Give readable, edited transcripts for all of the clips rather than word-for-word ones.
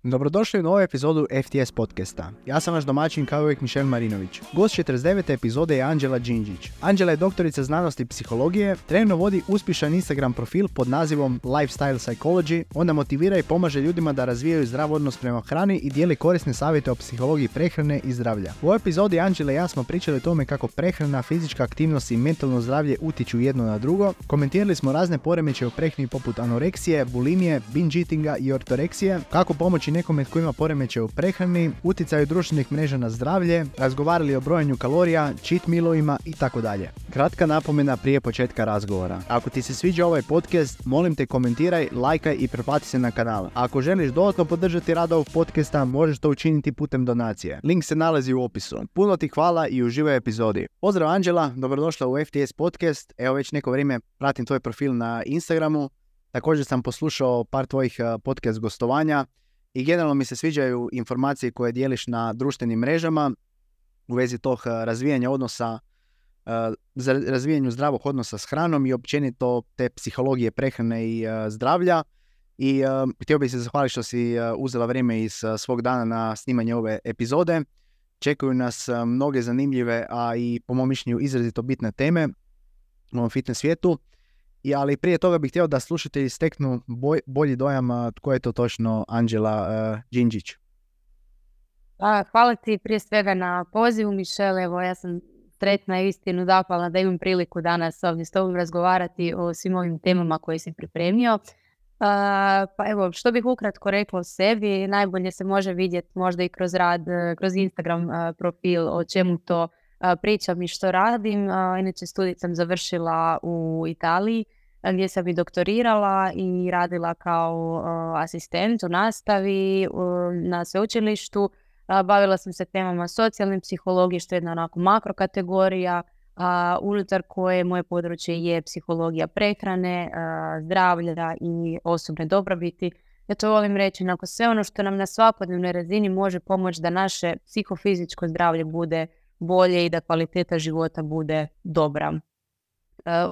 Dobrodošli u novu epizodu FTS podcasta. Ja sam vaš domaćin kao uvijek Mišel Marinović. Gost 49. epizode je Anđela Đinđić. Anđela je doktorica znanosti i psihologije, trenutno vodi uspješan Instagram profil pod nazivom Lifestyle Psychology. Ona motivira i pomaže ljudima da razvijaju zdrav odnos prema hrani i dijeli korisne savjete o psihologiji prehrane i zdravlja. U ovoj epizodi Anđela i ja smo pričali o tome kako prehrana, fizička aktivnost i mentalno zdravlje utiču jedno na drugo. Komentirali smo razne poremećaje u prehrani poput anoreksije, bulimije, binge eatinga i ortoreksije, kako pomoći nekome tko ima poremećaj u prehrani, utjecaju društvenih mreža na zdravlje, razgovarali o brojanju kalorija, cheat mealovima i tako dalje. Kratka napomena prije početka razgovora. Ako ti se sviđa ovaj podcast, molim te komentiraj, lajkaj i pretplati se na kanal. A ako želiš dodatno podržati rad ovog podcasta, možeš to učiniti putem donacije. Link se nalazi u opisu. Puno ti hvala i uživaj u epizodi. Pozdrav Anđela, dobrodošla u FTS podcast. Evo već neko vrijeme pratim tvoj profil na Instagramu. Također sam poslušao par tvojih podcast gostovanja. I generalno mi se sviđaju informacije koje dijeliš na društvenim mrežama u vezi tog razvijanja odnosa, za razvijanju zdravog odnosa s hranom i općenito te psihologije prehrane i zdravlja. I htio bih se zahvaliti što si uzela vrijeme iz svog dana na snimanje ove epizode. Čekaju nas mnoge zanimljive, a i po mom mišljenju izrazito bitne teme u ovom fitness svijetu. Ali prije toga bih htio da slušatelji steknu bolji dojam tko je to točno Anđela Đinđić. Hvala ti prije svega na pozivu, Mišel. Evo, ja sam sretna i istinu zahvalna da imam priliku danas ovdje s tobom razgovarati o svim ovim temama koje si pripremio. Pa evo, što bih ukratko rekla o sebi, najbolje se može vidjeti možda i kroz rad, kroz Instagram profil o čemu to pričam i što radim. Inače, studij sam završila u Italiji gdje sam i doktorirala i radila kao asistent u nastavi na sveučilištu. Bavila sam se temama socijalne psihologije, što je jedna onako makrokategorija, unutar koje moje područje je psihologija prehrane, zdravlja i osobne dobrobiti. Ja to volim reći, nakon sve ono što nam na svakodnevnoj razini može pomoći da naše psihofizičko zdravlje bude bolje i da kvaliteta života bude dobra.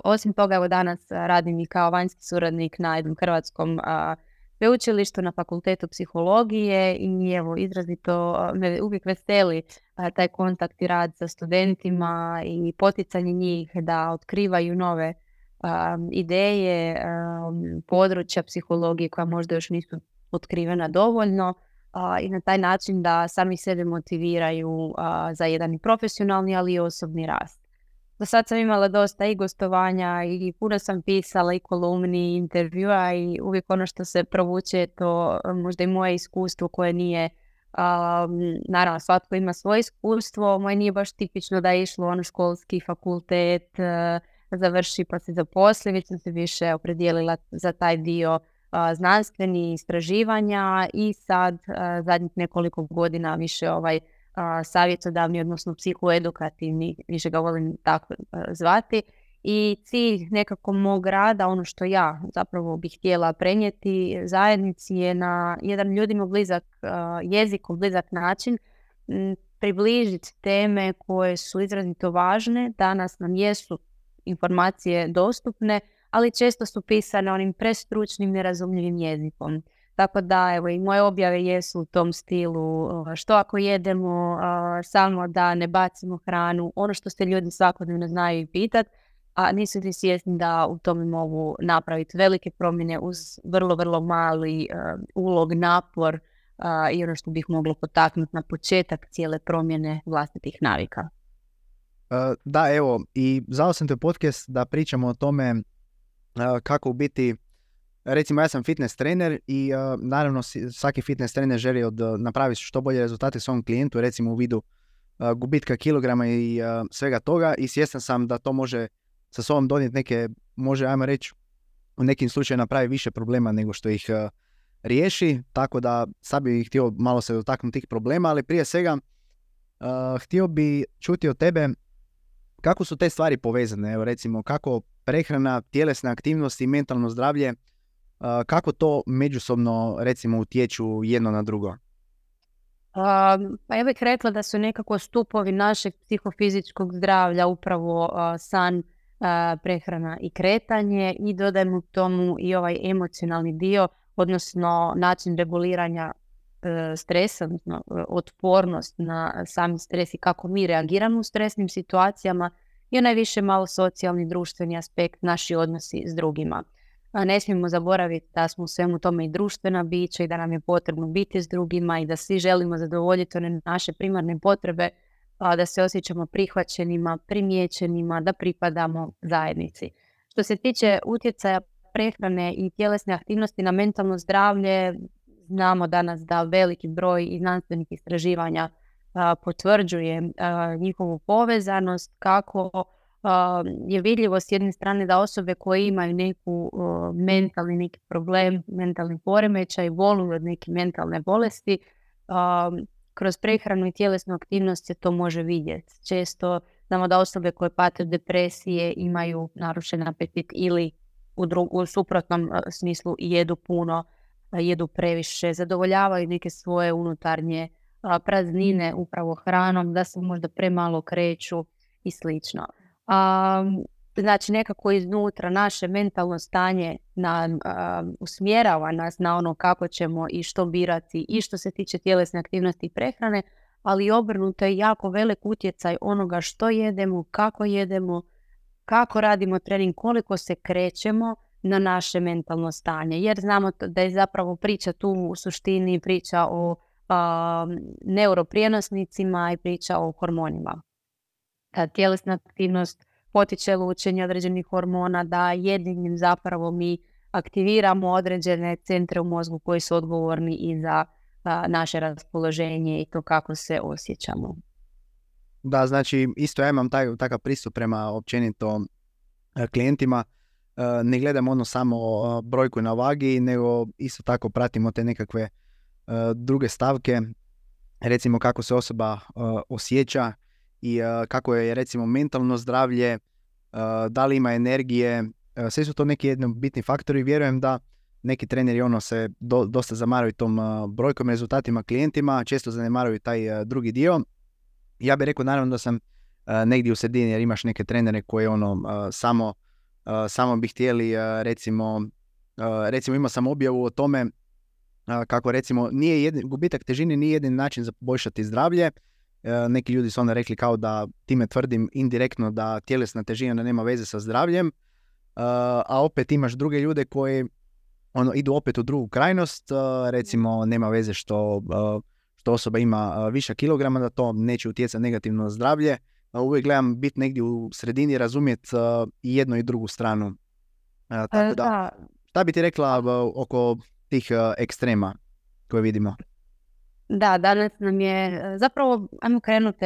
Osim toga, evo danas radim i kao vanjski suradnik na jednom hrvatskom sveučilištu na fakultetu psihologije i evo izrazito me uvijek veseli taj kontakt i rad sa studentima i poticanje njih da otkrivaju nove ideje, područja psihologije koja možda još nisu otkrivena dovoljno i na taj način da sami sebe motiviraju za jedan i profesionalni, ali i osobni rast. Do sad sam imala dosta i gostovanja i puno sam pisala i kolumni i intervjua i uvijek ono što se provuče je to možda i moje iskustvo koje nije, naravno svatko ima svoje iskustvo, moje nije baš tipično da je išlo ono školski fakultet, završi pa se zaposli, već sam se više opredijelila za taj dio znanstveni istraživanja i sad zadnjih nekoliko godina više savjetodavni, odnosno psihoedukativni, više ga volim tako zvati. I cilj nekako mog rada, ono što ja zapravo bih htjela prenijeti zajednici je na jedan ljudima blizak jezikom, blizak način približiti teme koje su izrazito važne. Danas nam jesu informacije dostupne, ali često su pisane onim prestručnim, nerazumljivim jezikom. Tako da, evo, i moje objave jesu u tom stilu što ako jedemo, samo da ne bacimo hranu, ono što se ljudi svakodnevno znaju i pitati, a nisu li svjesni da u tome mogu napraviti velike promjene uz vrlo, vrlo mali ulog, napor i ono što bih moglo potaknuti na početak cijele promjene vlastitih navika. Da, evo, i zvao sam te podcast da pričamo o tome kako u biti, recimo ja sam fitness trener i naravno svaki fitness trener želi napraviti što bolje rezultate svom klijentu, recimo u vidu gubitka kilograma i svega toga, i svjestan sam da to može sa sobom donijeti neke, može ajmo reći, u nekim slučajima napravi više problema nego što ih riješi, tako da sad bih htio malo se dotaknuti tih problema, ali prije svega htio bi čuti od tebe kako su te stvari povezane, evo recimo kako prehrana, tjelesna aktivnost i mentalno zdravlje, kako to međusobno recimo utječu jedno na drugo? Pa ja bih rekla da su nekako stupovi našeg psihofizičkog zdravlja upravo san, prehrana i kretanje, i dodajemo tomu i ovaj emocionalni dio, odnosno način reguliranja stresa, odnosno otpornost na sami stres i kako mi reagiramo u stresnim situacijama, i onaj više malo socijalni, društveni aspekt, naši odnosi s drugima. Ne smijemo zaboraviti da smo u svemu tome i društvena bića i da nam je potrebno biti s drugima i da svi želimo zadovoljiti one naše primarne potrebe, da se osjećamo prihvaćenima, primijećenima, da pripadamo zajednici. Što se tiče utjecaja prehrane i tjelesne aktivnosti na mentalno zdravlje, znamo danas da veliki broj i znanstvenih istraživanja potvrđuje njihovu povezanost, kako je vidljivo s jedne strane da osobe koje imaju neku mentalni neki problem, mentalni poremećaj, boluju od neke mentalne bolesti, kroz prehranu i tjelesnu aktivnost se to može vidjeti. Često znamo da osobe koje pate od depresije imaju narušen apetit ili u suprotnom smislu jedu puno, jedu previše, zadovoljavaju neke svoje unutarnje praznine upravo hranom, da se možda premalo kreću i slično. Znači nekako iznutra naše mentalno stanje usmjerava nas na ono kako ćemo i što birati i što se tiče tjelesne aktivnosti i prehrane, ali obrnuto je jako velik utjecaj onoga što jedemo, kako radimo trening, koliko se krećemo na naše mentalno stanje. Jer znamo da je zapravo priča tu u suštini priča o neuroprijenosnicima i priča o hormonima. Tjelesna aktivnost potiče lučenje određenih hormona, da jednim zapravo mi aktiviramo određene centre u mozgu koji su odgovorni i za naše raspoloženje i to kako se osjećamo. Da, znači isto ja imam takav pristup prema općenito klijentima. Ne gledam ono samo brojku na vagi, nego isto tako pratimo te nekakve druge stavke, recimo kako se osoba osjeća i kako je recimo mentalno zdravlje, da li ima energije, sve su to neki bitni faktori. Vjerujem da neki treneri se dosta zamaraju tom brojkom, rezultatima klijentima, često zanemaruju taj drugi dio. Ja bih rekao naravno da sam negdje u sredini, jer imaš neke trenere koji samo bi htjeli recimo imao sam objavu o tome kako recimo gubitak težine nije jedini način za poboljšati zdravlje. Neki ljudi su onda rekli kao da time tvrdim indirektno da tjelesna težina nema veze sa zdravljem, a opet imaš druge ljude koji idu opet u drugu krajnost, recimo nema veze što osoba ima viša kilograma, da to neće utjecati negativno na zdravlje. Uvijek gledam biti negdje u sredini, razumjeti i jednu i drugu stranu. Tako da, šta bi ti rekla oko tih ekstrema koje vidimo? Da, danas nam je zapravo, ajmo krenuti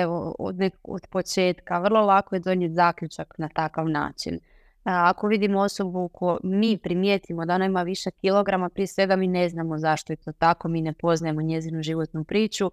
od početka, vrlo lako je donijeti zaključak na takav način. Ako vidimo osobu mi primijetimo da ona ima više kilograma, prije svega mi ne znamo zašto je to tako, mi ne poznajemo njezinu životnu priču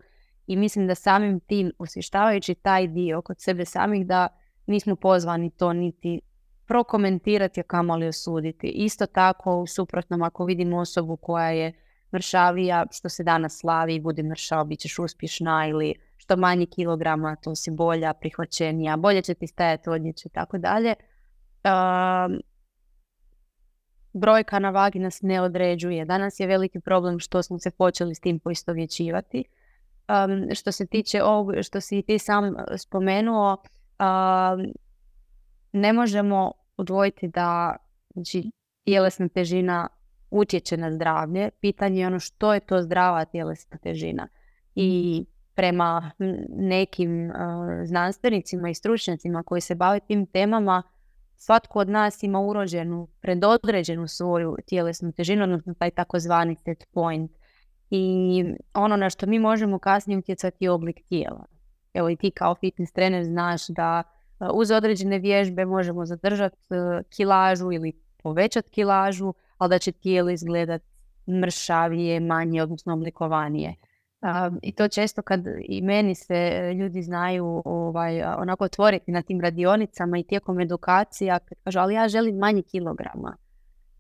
i mislim da samim tim osvještavajući taj dio kod sebe samih da nismo pozvani to niti prokomentirati, a kamoli osuditi. Isto tako u suprotnom ako vidimo osobu koja je mršavija, što se danas slavi, budi mršava, bit ćeš uspješna, ili što manje kilograma, to si bolja, prihvaćenija, bolje će ti stajati odjeće i tako dalje. Brojka na vagi nas ne određuje. Danas je veliki problem što smo se počeli s tim poistovjećivati. Što se tiče ovog, što si ti sam spomenuo, ne možemo odvojiti da znači, tjelesna težina utječe na zdravlje. Pitanje je što je to zdrava tjelesna težina. I prema nekim znanstvenicima i stručnjacima koji se bave tim temama, svatko od nas ima urođenu, predodređenu svoju tjelesnu težinu, odnosno taj takozvani set point. I ono na što mi možemo kasnije utjecati je oblik tijela. Evo i ti kao fitness trener znaš da uz određene vježbe možemo zadržati kilažu ili povećati kilažu, ali da će tijelo izgledati mršavije, manje, odnosno oblikovanije. I to često kad i meni se ljudi znaju onako otvoriti na tim radionicama i tijekom edukacija, kad kažu ali ja želim manje kilograma.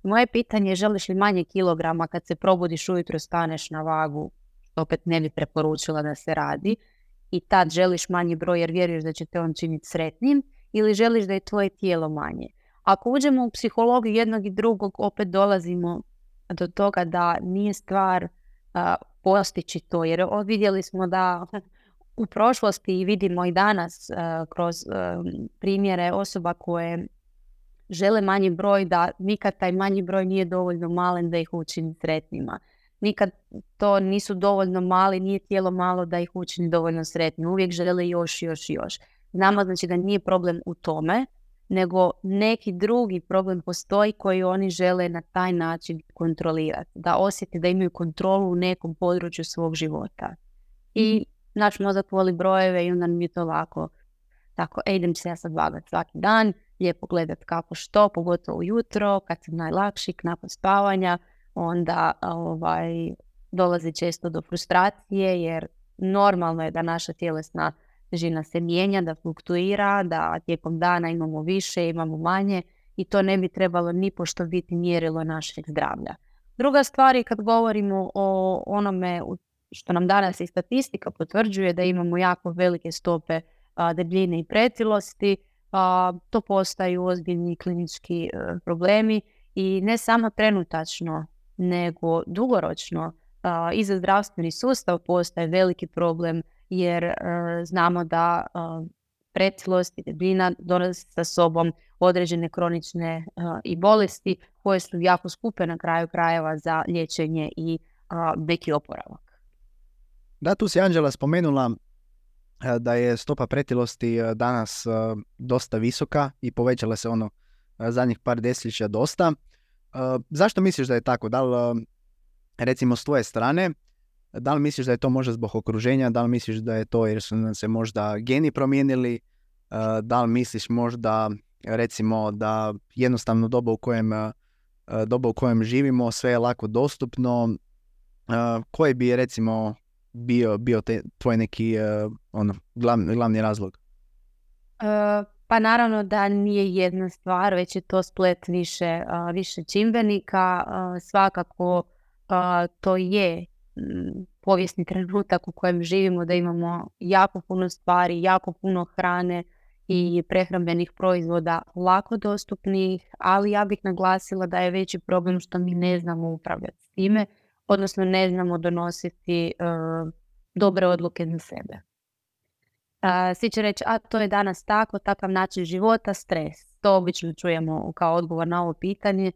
Moje pitanje je želiš li manje kilograma kad se probudiš ujutro, staneš na vagu, što opet ne bi preporučila da se radi, i tad želiš manji broj jer vjeruješ da će te on činiti sretnim, ili želiš da je tvoje tijelo manje. Ako uđemo u psihologiju jednog i drugog, opet dolazimo do toga da nije stvar postići to, jer vidjeli smo da u prošlosti i vidimo i danas kroz primjere osoba koje žele manji broj, da nikad taj manji broj nije dovoljno malen da ih učini sretnima. Nikad to nisu dovoljno mali, nije tijelo malo da ih učini dovoljno sretnim. Uvijek žele još. Znamo znači da nije problem u tome, nego neki drugi problem postoji koji oni žele na taj način kontrolirati. Da osjeti da imaju kontrolu u nekom području svog života. I naš mozak voli brojeve i onda mi je to lako. Tako, idem se ja sad vagati svaki dan, lijepo gledat kako što, pogotovo ujutro, kad sam najlakši, nakon spavanja, onda dolazi često do frustracije, jer normalno je da naša tjelesna težina se mijenja, da fluktuira, da tijekom dana imamo više, imamo manje i to ne bi trebalo nipošto biti mjerilo našeg zdravlja. Druga stvar je kad govorimo o onome što nam danas i statistika potvrđuje, da imamo jako velike stope debljine i pretilosti, to postaju ozbiljni klinički problemi i ne samo trenutačno, nego dugoročno i za zdravstveni sustav postaje veliki problem, jer znamo da pretilost i debljina donose sa sobom određene kronične i bolesti koje su jako skupe na kraju krajeva za liječenje i neki oporavak. Da, tu si Anđela spomenula da je stopa pretilosti danas dosta visoka i povećala se zadnjih par desetljeća dosta. Zašto misliš da je tako? Da li, recimo s tvoje strane, da li misliš da je to možda zbog okruženja, da li misliš da je to jer su nam se možda geni promijenili, da li misliš možda recimo da jednostavno doba u kojem živimo, sve je lako dostupno, koji bi recimo bio tvoj neki glavni razlog? Pa naravno da nije jedna stvar, već je to splet više čimbenika. Svakako to je povijesni trenutak u kojem živimo, da imamo jako puno stvari, jako puno hrane i prehrambenih proizvoda lako dostupnih, ali ja bih naglasila da je veći problem što mi ne znamo upravljati s time, odnosno ne znamo donositi dobre odluke za sebe. Svi će reći, to je danas tako, takav način života, stres. To obično čujemo kao odgovor na ovo pitanje.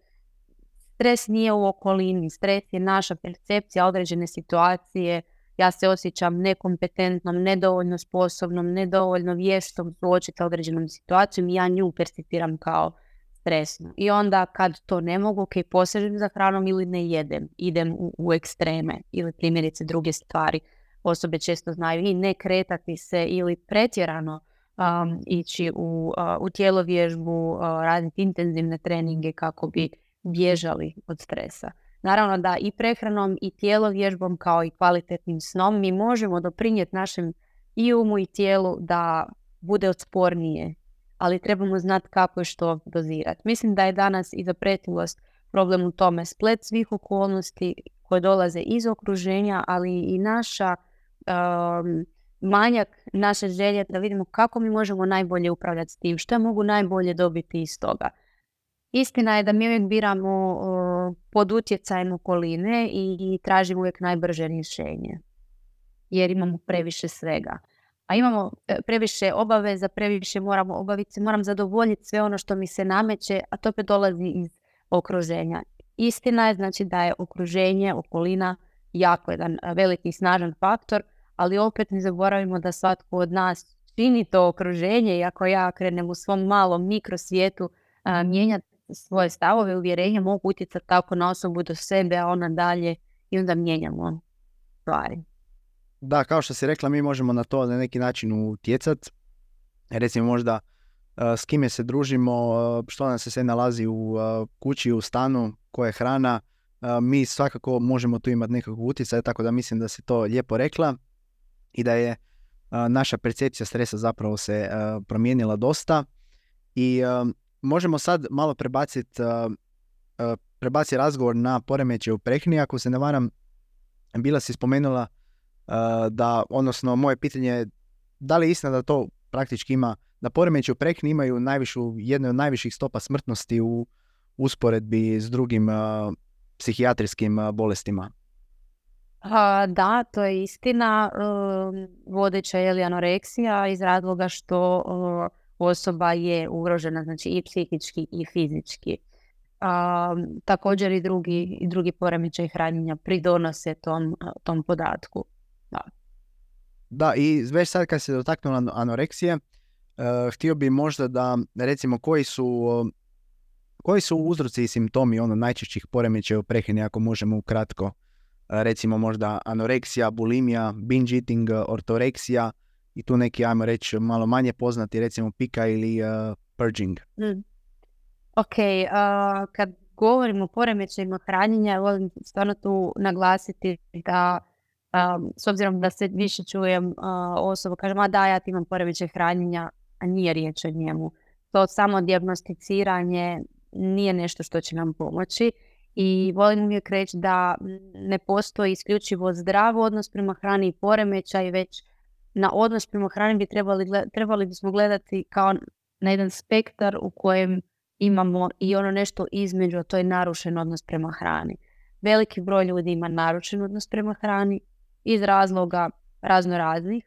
Stres nije u okolini, stres je naša percepcija određene situacije. Ja se osjećam nekompetentnom, nedovoljno sposobnom, nedovoljno vještom suočiti određenom situacijom i ja nju percipiram kao stresno. I onda kad to ne mogu, posežem za hranom ili ne jedem, idem u ekstreme ili primjerice druge stvari. Osobe često znaju i ne kretati se ili pretjerano ići u tjelovježbu, raditi intenzivne treninge kako bi bježali od stresa. Naravno da i prehranom i tjelovježbom kao i kvalitetnim snom mi možemo doprinijeti našem i umu i tijelu da bude otpornije, ali trebamo znati kako i što dozirati. Mislim da je danas i za pretilost problem u tome splet svih okolnosti koje dolaze iz okruženja, ali i naša manjak naše želje da vidimo kako mi možemo najbolje upravljati s tim, što mogu najbolje dobiti iz toga. Istina je da mi uvijek biramo pod utjecajem okoline i tražimo uvijek najbrže rješenje, jer imamo previše svega. A imamo previše obaveza, previše moramo obaviti, moram zadovoljiti sve ono što mi se nameće, a to opet dolazi iz okruženja. Istina je znači da je okruženje, okolina jako jedan veliki i snažan faktor, ali opet ne zaboravimo da svatko od nas čini to okruženje i ako ja krenem u svom malom mikrosvijetu mijenjati svoje stavove, uvjerenja, mogu utjecati tako na osobu do sebe, a ona dalje i onda mijenjamo stvari. Da, kao što si rekla, mi možemo na to na neki način utjecati. Recimo možda s kime se družimo, što nam se sve nalazi u kući, u stanu, koja je hrana. Mi svakako možemo tu imati nekakvog utjecaja, tako da mislim da si to lijepo rekla i da je naša percepcija stresa zapravo se promijenila dosta i možemo sad malo prebaciti razgovor na poremećaje u prehrani. Ako se ne varam, bila si spomenula da, odnosno moje pitanje je da li je istina da to praktički ima, da poremećaje u prehrani imaju jednu od najviših stopa smrtnosti u usporedbi s drugim psihijatrijskim bolestima? Da, to je istina. Vodeća je anoreksija iz razloga što osoba je ugrožena, znači i psihički i fizički. Također i drugi poremećaj hranjenja pridonose tom podatku. Da. Da, i već sad kad se dotaknula anoreksije, htio bi možda da recimo koji su uzroci i simptomi najčešćih poremećaja u prehrani, ako možemo ukratko. Recimo možda anoreksija, bulimija, binge eating, ortoreksija i tu neki, ajmo reći, malo manje poznati, recimo pika ili purging. Ok, kad govorimo o poremećajima hranjenja, volim stvarno tu naglasiti da s obzirom da se više čujem osoba kaže, ma da, ja imam poremećaj hranjenja, a nije riječ o njemu. To samo dijagnosticiranje nije nešto što će nam pomoći i volim uvijek reći da ne postoji isključivo zdrav odnos prema hrani i poremećaj, već na odnos prema hrani trebali bismo gledati kao na jedan spektar u kojem imamo i ono nešto između, a to je narušen odnos prema hrani. Veliki broj ljudi ima narušen odnos prema hrani iz razloga raznoraznih,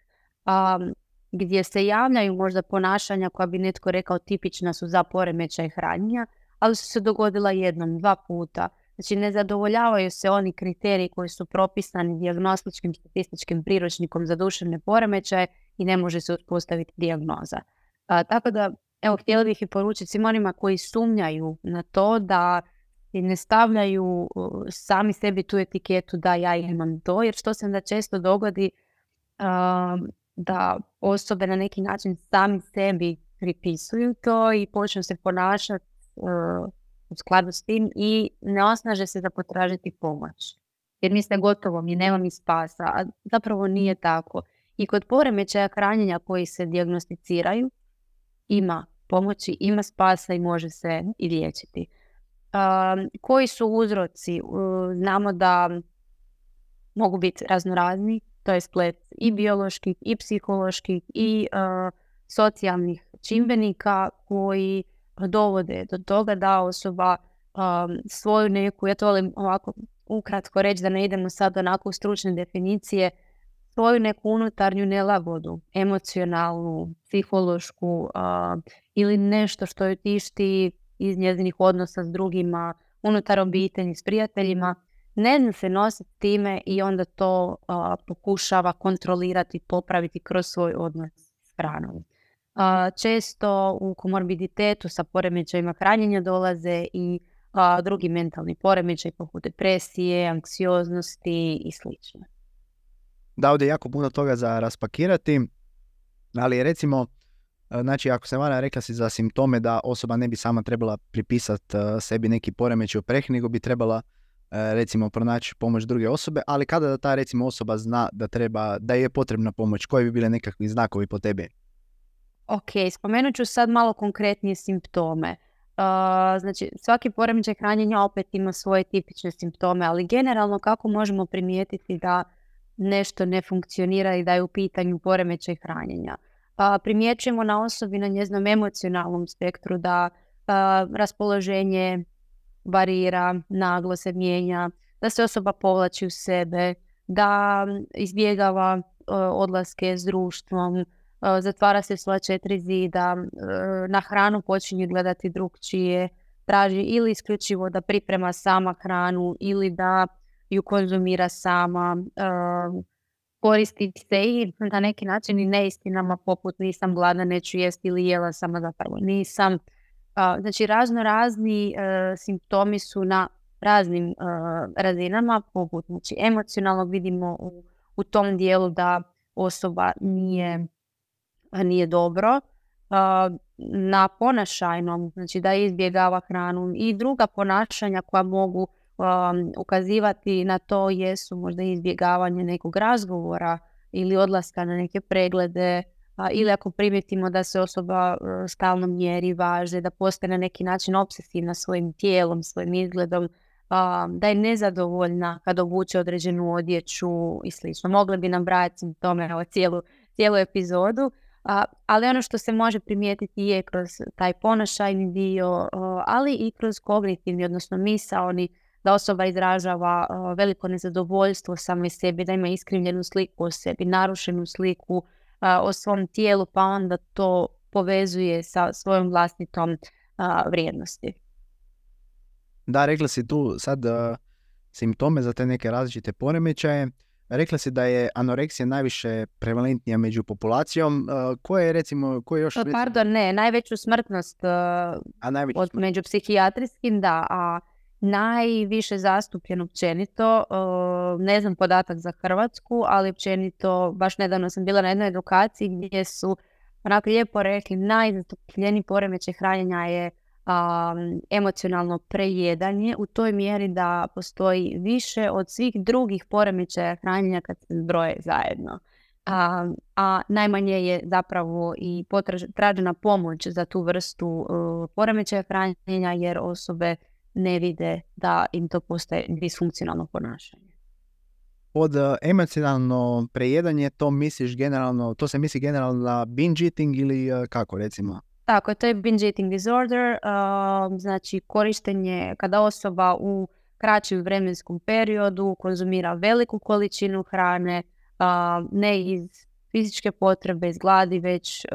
gdje se javljaju možda ponašanja koja bi netko rekao tipična su za poremećaj hranjenja, ali su se dogodila jednom, 2 puta. Znači ne zadovoljavaju se oni kriteriji koji su propisani dijagnostičkim statističkim priručnikom za duševne poremećaje i ne može se uspostaviti dijagnoza. Tako da, evo, htjela bih i poručiti svim onima koji sumnjaju na to da ne stavljaju sami sebi tu etiketu da ja imam to, jer što se onda često dogodi da osobe na neki način sami sebi pripisuju to i počnu se ponašati u skladu s tim i ne osnaže se za potražiti pomoć. Jer misle gotovo mi, nema mi spasa, a zapravo nije tako. I kod poremećaja hranjenja koji se dijagnosticiraju ima pomoći, ima spasa i može se i liječiti. Koji su uzroci? Znamo da mogu biti raznorazni, to je splet i bioloških, i psiholoških, i socijalnih čimbenika koji dovode do toga da osoba svoju neku, ja to volim ovako ukratko reći da ne idemo sad onako u stručne definicije, svoju neku unutarnju nelagodu, emocionalnu, psihološku ili nešto što ju tišti iz njezinih odnosa s drugima, unutar obitelji, s prijateljima, ne zna se nositi time i onda to pokušava kontrolirati, popraviti kroz svoj odnos s hranom. Često u komorbiditetu sa poremećajima hranjenja dolaze i drugi mentalni poremećaj poput depresije, anksioznosti i sl. Da, ovdje je jako puno toga za raspakirati, ali recimo, znači ako se varam, rekla si za simptome da osoba ne bi sama trebala pripisati sebi neki poremećaj u prehrani, nego bi trebala recimo pronaći pomoć druge osobe, ali kada da ta recimo osoba zna da je potrebna pomoć, koji bi bile nekakvi znakovi po tebi? Ok, spomenut ću sad malo konkretnije simptome. Znači, svaki poremećaj hranjenja opet ima svoje tipične simptome, ali generalno kako možemo primijetiti da nešto ne funkcionira i da je u pitanju poremećaj hranjenja? Primjećujemo na osobi na njezinom emocionalnom spektru da raspoloženje varira, naglo se mijenja, da se osoba povlači u sebe, da izbjegava odlaske s društvom, zatvara se svoja 4 zida, na hranu počinje gledati drugčije, traži ili isključivo da priprema sama hranu ili da ju konzumira sama, koristi se i na neki način i neistinama poput nisam gladna, neću jesti ili jela sama, zapravo nisam. Znači razni simptomi su na raznim razinama, poput znači, emocionalnog vidimo u tom dijelu da osoba nije dobro, na ponašajnom, znači da izbjegava hranu i druga ponašanja koja mogu ukazivati na to jesu možda izbjegavanje nekog razgovora ili odlaska na neke preglede, ili ako primijetimo da se osoba stalno mjeri, važe, da postaje na neki način obsesivna svojim tijelom, svojim izgledom, da je nezadovoljna kad obuče određenu odjeću i slično. Mogli bi nam brati simptome cijelu epizodu, ali ono što se može primijetiti je kroz taj ponašajni dio, ali i kroz kognitivni, odnosno misaoni da osoba izražava veliko nezadovoljstvo same sebi, da ima iskrivljenu sliku o sebi, narušenu sliku o svom tijelu, pa onda to povezuje sa svojom vlastitom vrijednosti. Da, rekla si tu sad simptome za te neke različite poremećaje. Rekla si da je anoreksija najviše prevalentnija među populacijom. Koje još... Pardon, ne, najveću smrtnost među psihijatrijskim, da, a najviše zastupljen općenito, ne znam podatak za Hrvatsku, ali općenito, baš nedavno sam bila na jednoj edukaciji gdje su onako lijepo rekli, najzastupljeniji poremećaj hranjenja je emocionalno prejedanje u toj mjeri da postoji više od svih drugih poremećaja hranjenja kad se zbroje zajedno. A najmanje je zapravo i tražena pomoć za tu vrstu poremećaja hranjenja jer osobe ne vide da im to postaje disfunkcionalno ponašanje. Pod emocionalno prejedanje to se misli generalno na binge eating ili kako recimo? Tako, to je binge eating disorder, znači korištenje kada osoba u kraćem vremenskom periodu konzumira veliku količinu hrane, ne iz fizičke potrebe, iz gladi, već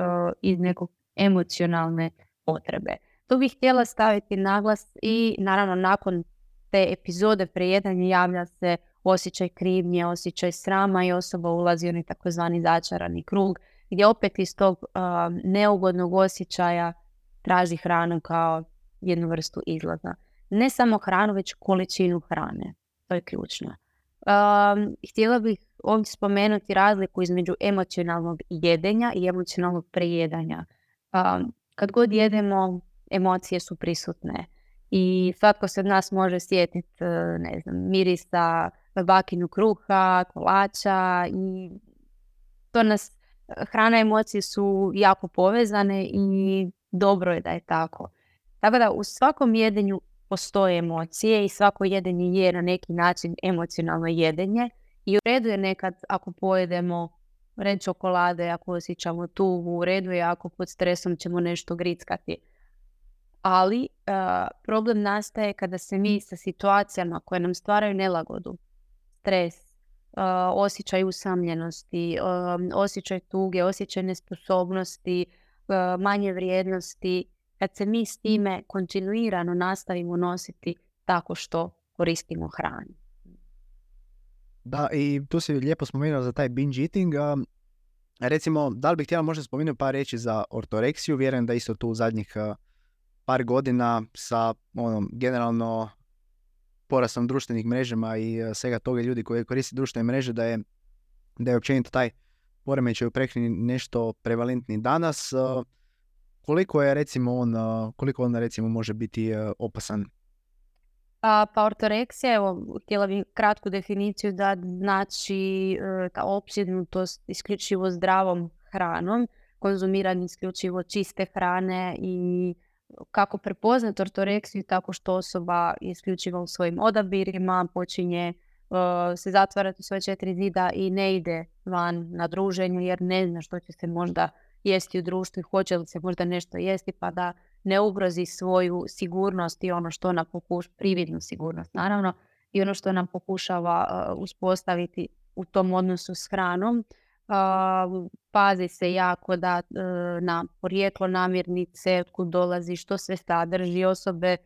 iz nekog emocionalne potrebe. Tu bih htjela staviti naglas i naravno nakon te epizode prejedanja javlja se osjećaj krivnje, osjećaj srama i osoba ulazi u onaj takozvani začarani krug gdje opet iz tog neugodnog osjećaja traži hranu kao jednu vrstu izlaza. Ne samo hranu, već količinu hrane. To je ključno. Htjela bih ovdje spomenuti razliku između emocionalnog jedenja i emocionalnog prejedanja. Kad god jedemo, emocije su prisutne i svatko se od nas može sjetiti, ne znam, mirisa bakinu kruha, kolača i to nas, hrana i emocije su jako povezane i dobro je da je tako. Tako da u svakom jedenju postoje emocije i svako jedenje je na neki način emocionalno jedenje i u redu je nekad ako pojedemo red čokolade, ako osjećamo tugu, u redu je ako pod stresom ćemo nešto grickati. Ali problem nastaje kada se mi sa situacijama koje nam stvaraju nelagodu, stres, osjećaj usamljenosti, osjećaj tuge, osjećaj nesposobnosti, manje vrijednosti, kad se mi s time kontinuirano nastavimo nositi tako što koristimo hranu. Da, i tu si lijepo spomenuo za taj binge eating. Recimo, da li bih htjela možda spomenuti par riječi za ortoreksiju? Vjerujem da isto tu u zadnjih par godina sa generalno porastom društvenih mrežama i svega toga ljudi koji koriste društvene mreže da je općenito taj poremećaj u prehrani nešto prevalentni danas. Koliko on recimo može biti opasan? Pa ortoreksija, evo, htjela bih kratku definiciju da znači ta opsjednutost isključivo zdravom hranom, konzumiranje isključivo čiste hrane i kako prepoznati ortoreksiju tako što osoba isključivo u svojim odabirima počinje se zatvarati u svoje 4 zida i ne ide van na druženju jer ne zna što će se možda jesti u društvu i hoće li se možda nešto jesti pa da ne ugrozi svoju sigurnost i ono što nam prividnu sigurnost naravno i ono što nam pokušava uspostaviti u tom odnosu s hranom. Pazi se jako da na porijeklo namirnice, otkud dolazi, što sve sadrži. Osobe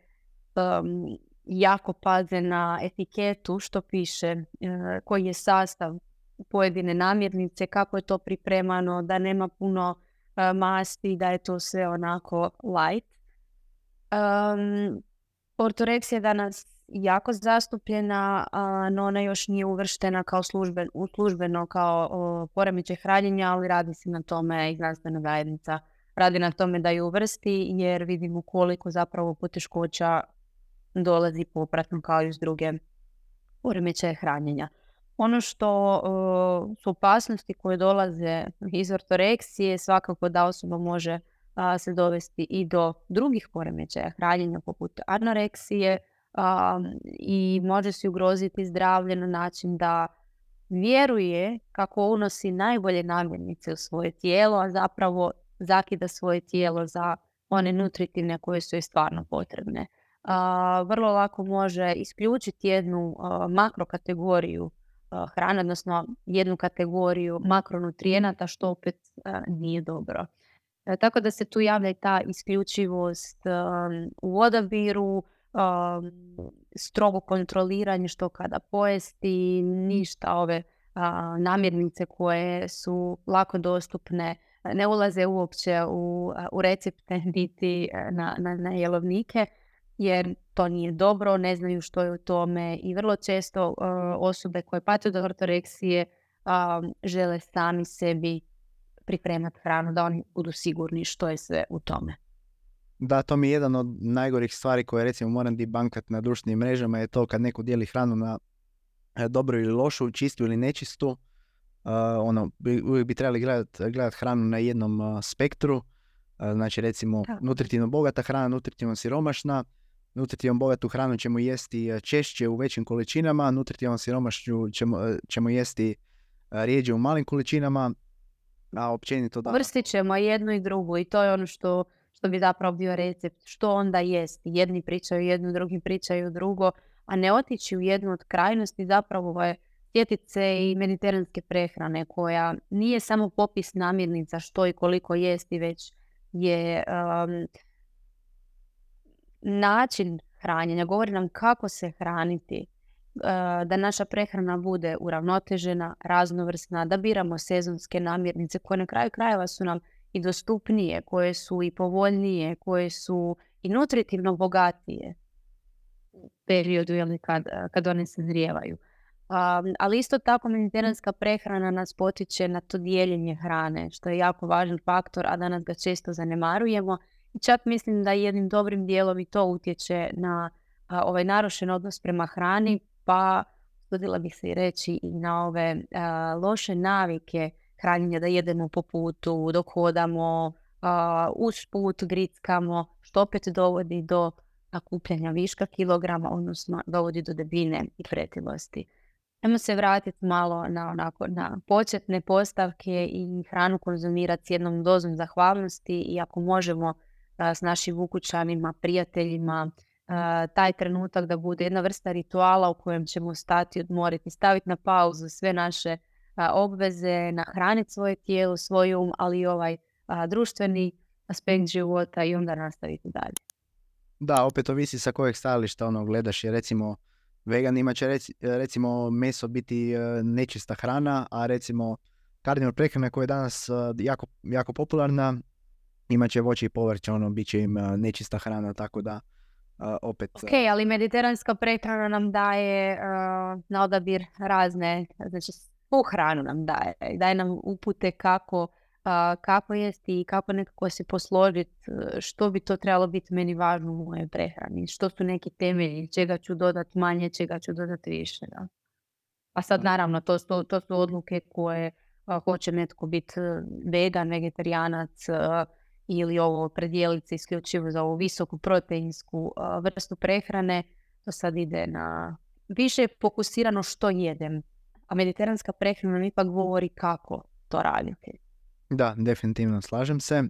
jako paze na etiketu što piše, koji je sastav pojedine namirnice, kako je to pripremano, da nema puno masti, da je to sve onako light. Ortoreksija je danas jako zastupljena, no ona još nije uvrštena kao službeno kao poremećaj hranjenja, ali radi se na tome i znanstvena zajednica radi na tome da ju uvrsti jer vidimo koliko zapravo poteškoća dolazi popratno kao i s druge poremećaje hranjenja. Ono što su opasnosti koje dolaze iz ortoreksije svakako da osoba može se dovesti i do drugih poremećaja hranjenja poput anoreksije i može se ugroziti zdravlje na način da vjeruje kako unosi najbolje namirnice u svoje tijelo, a zapravo zakida svoje tijelo za one nutritivne koje su joj stvarno potrebne. vrlo lako može isključiti jednu makrokategoriju hrane, odnosno jednu kategoriju makronutrijenata, što opet nije dobro. Tako da se tu javlja i ta isključivost u odabiru, strogo kontroliranje što kada pojesti, ništa ove namirnice koje su lako dostupne, ne ulaze uopće u recepte niti na jelovnike, jer to nije dobro, ne znaju što je u tome i vrlo često osobe koje pate od ortoreksije žele sami sebi pripremati hranu, da oni budu sigurni što je sve u tome. Da, to mi je jedan od najgorih stvari koje recimo moram debunkati na društvenim mrežama, je to kad neko dijeli hranu na dobru ili lošu, čistu ili nečistu. Uvijek bi trebali gledati hranu na jednom spektru. Znači recimo nutritivno bogata hrana, nutritivno siromašna. Nutritivno bogatu hranu ćemo jesti češće u većim količinama, nutritivno siromašnu ćemo jesti rijeđe u malim količinama, a općenito da... Vrstit ćemo jednu i drugu i to je ono što bi zapravo bio recept. Što onda jesti? Jedni pričaju jedno, drugi pričaju drugo, a ne otići u jednu od krajnosti zapravo je sjetiti se i mediteranske prehrane, koja nije samo popis namirnica što i koliko jesti, već je način hranjenja. Govori nam kako se hraniti, da naša prehrana bude uravnotežena, raznovrsna, da biramo sezonske namirnice koje na kraju krajeva su nam i dostupnije, koje su i povoljnije, koje su i nutritivno bogatije u periodu kad one se zrijevaju. Ali isto tako mediteranska prehrana nas potiče na to dijeljenje hrane, što je jako važan faktor, a danas ga često zanemarujemo. I čak mislim da jednim dobrim dijelom i to utječe na ovaj narušen odnos prema hrani, pa usudila bih se i reći i na ove loše navike hranjenja, da jedemo po putu, dok hodamo, uz put grickamo, što opet dovodi do nakupljanja viška kilograma, odnosno dovodi do debljine i pretilosti. Ajmo se vratiti malo na početne postavke i hranu konzumirati s jednom dozom zahvalnosti, i ako možemo s našim ukućanima, prijateljima, taj trenutak da bude jedna vrsta rituala u kojem ćemo stati, odmoriti, staviti na pauzu sve naše obveze, nahraniti svoje tijelo, svoj um, ali i ovaj društveni aspekt života i onda nastaviti dalje. Da, opet ovisi sa kojeg stajališta gledaš, jer recimo veganima će recimo meso biti nečista hrana, a recimo karnivor prehrana koja je danas jako popularna, imat će voće i povrće, bit će im nečista hrana, tako da opet... Ok, ali mediteranska prehrana nam daje na odabir razne, znači svu hranu nam daje nam upute kako jesti i kako nekako se posložiti, što bi to trebalo biti meni važno u mojoj prehrani, što su neki temelji, čega ću dodati manje, čega ću dodati više. Da? A sad naravno to su odluke koje hoće netko biti vegan, vegetarijanac ili ovo predijeliti se isključivo za ovu visoku proteinsku vrstu prehrane. To sad ide na više fokusirano što jedem, a mediteranska prehrana nam ipak govori kako to raditi. Da, definitivno slažem se.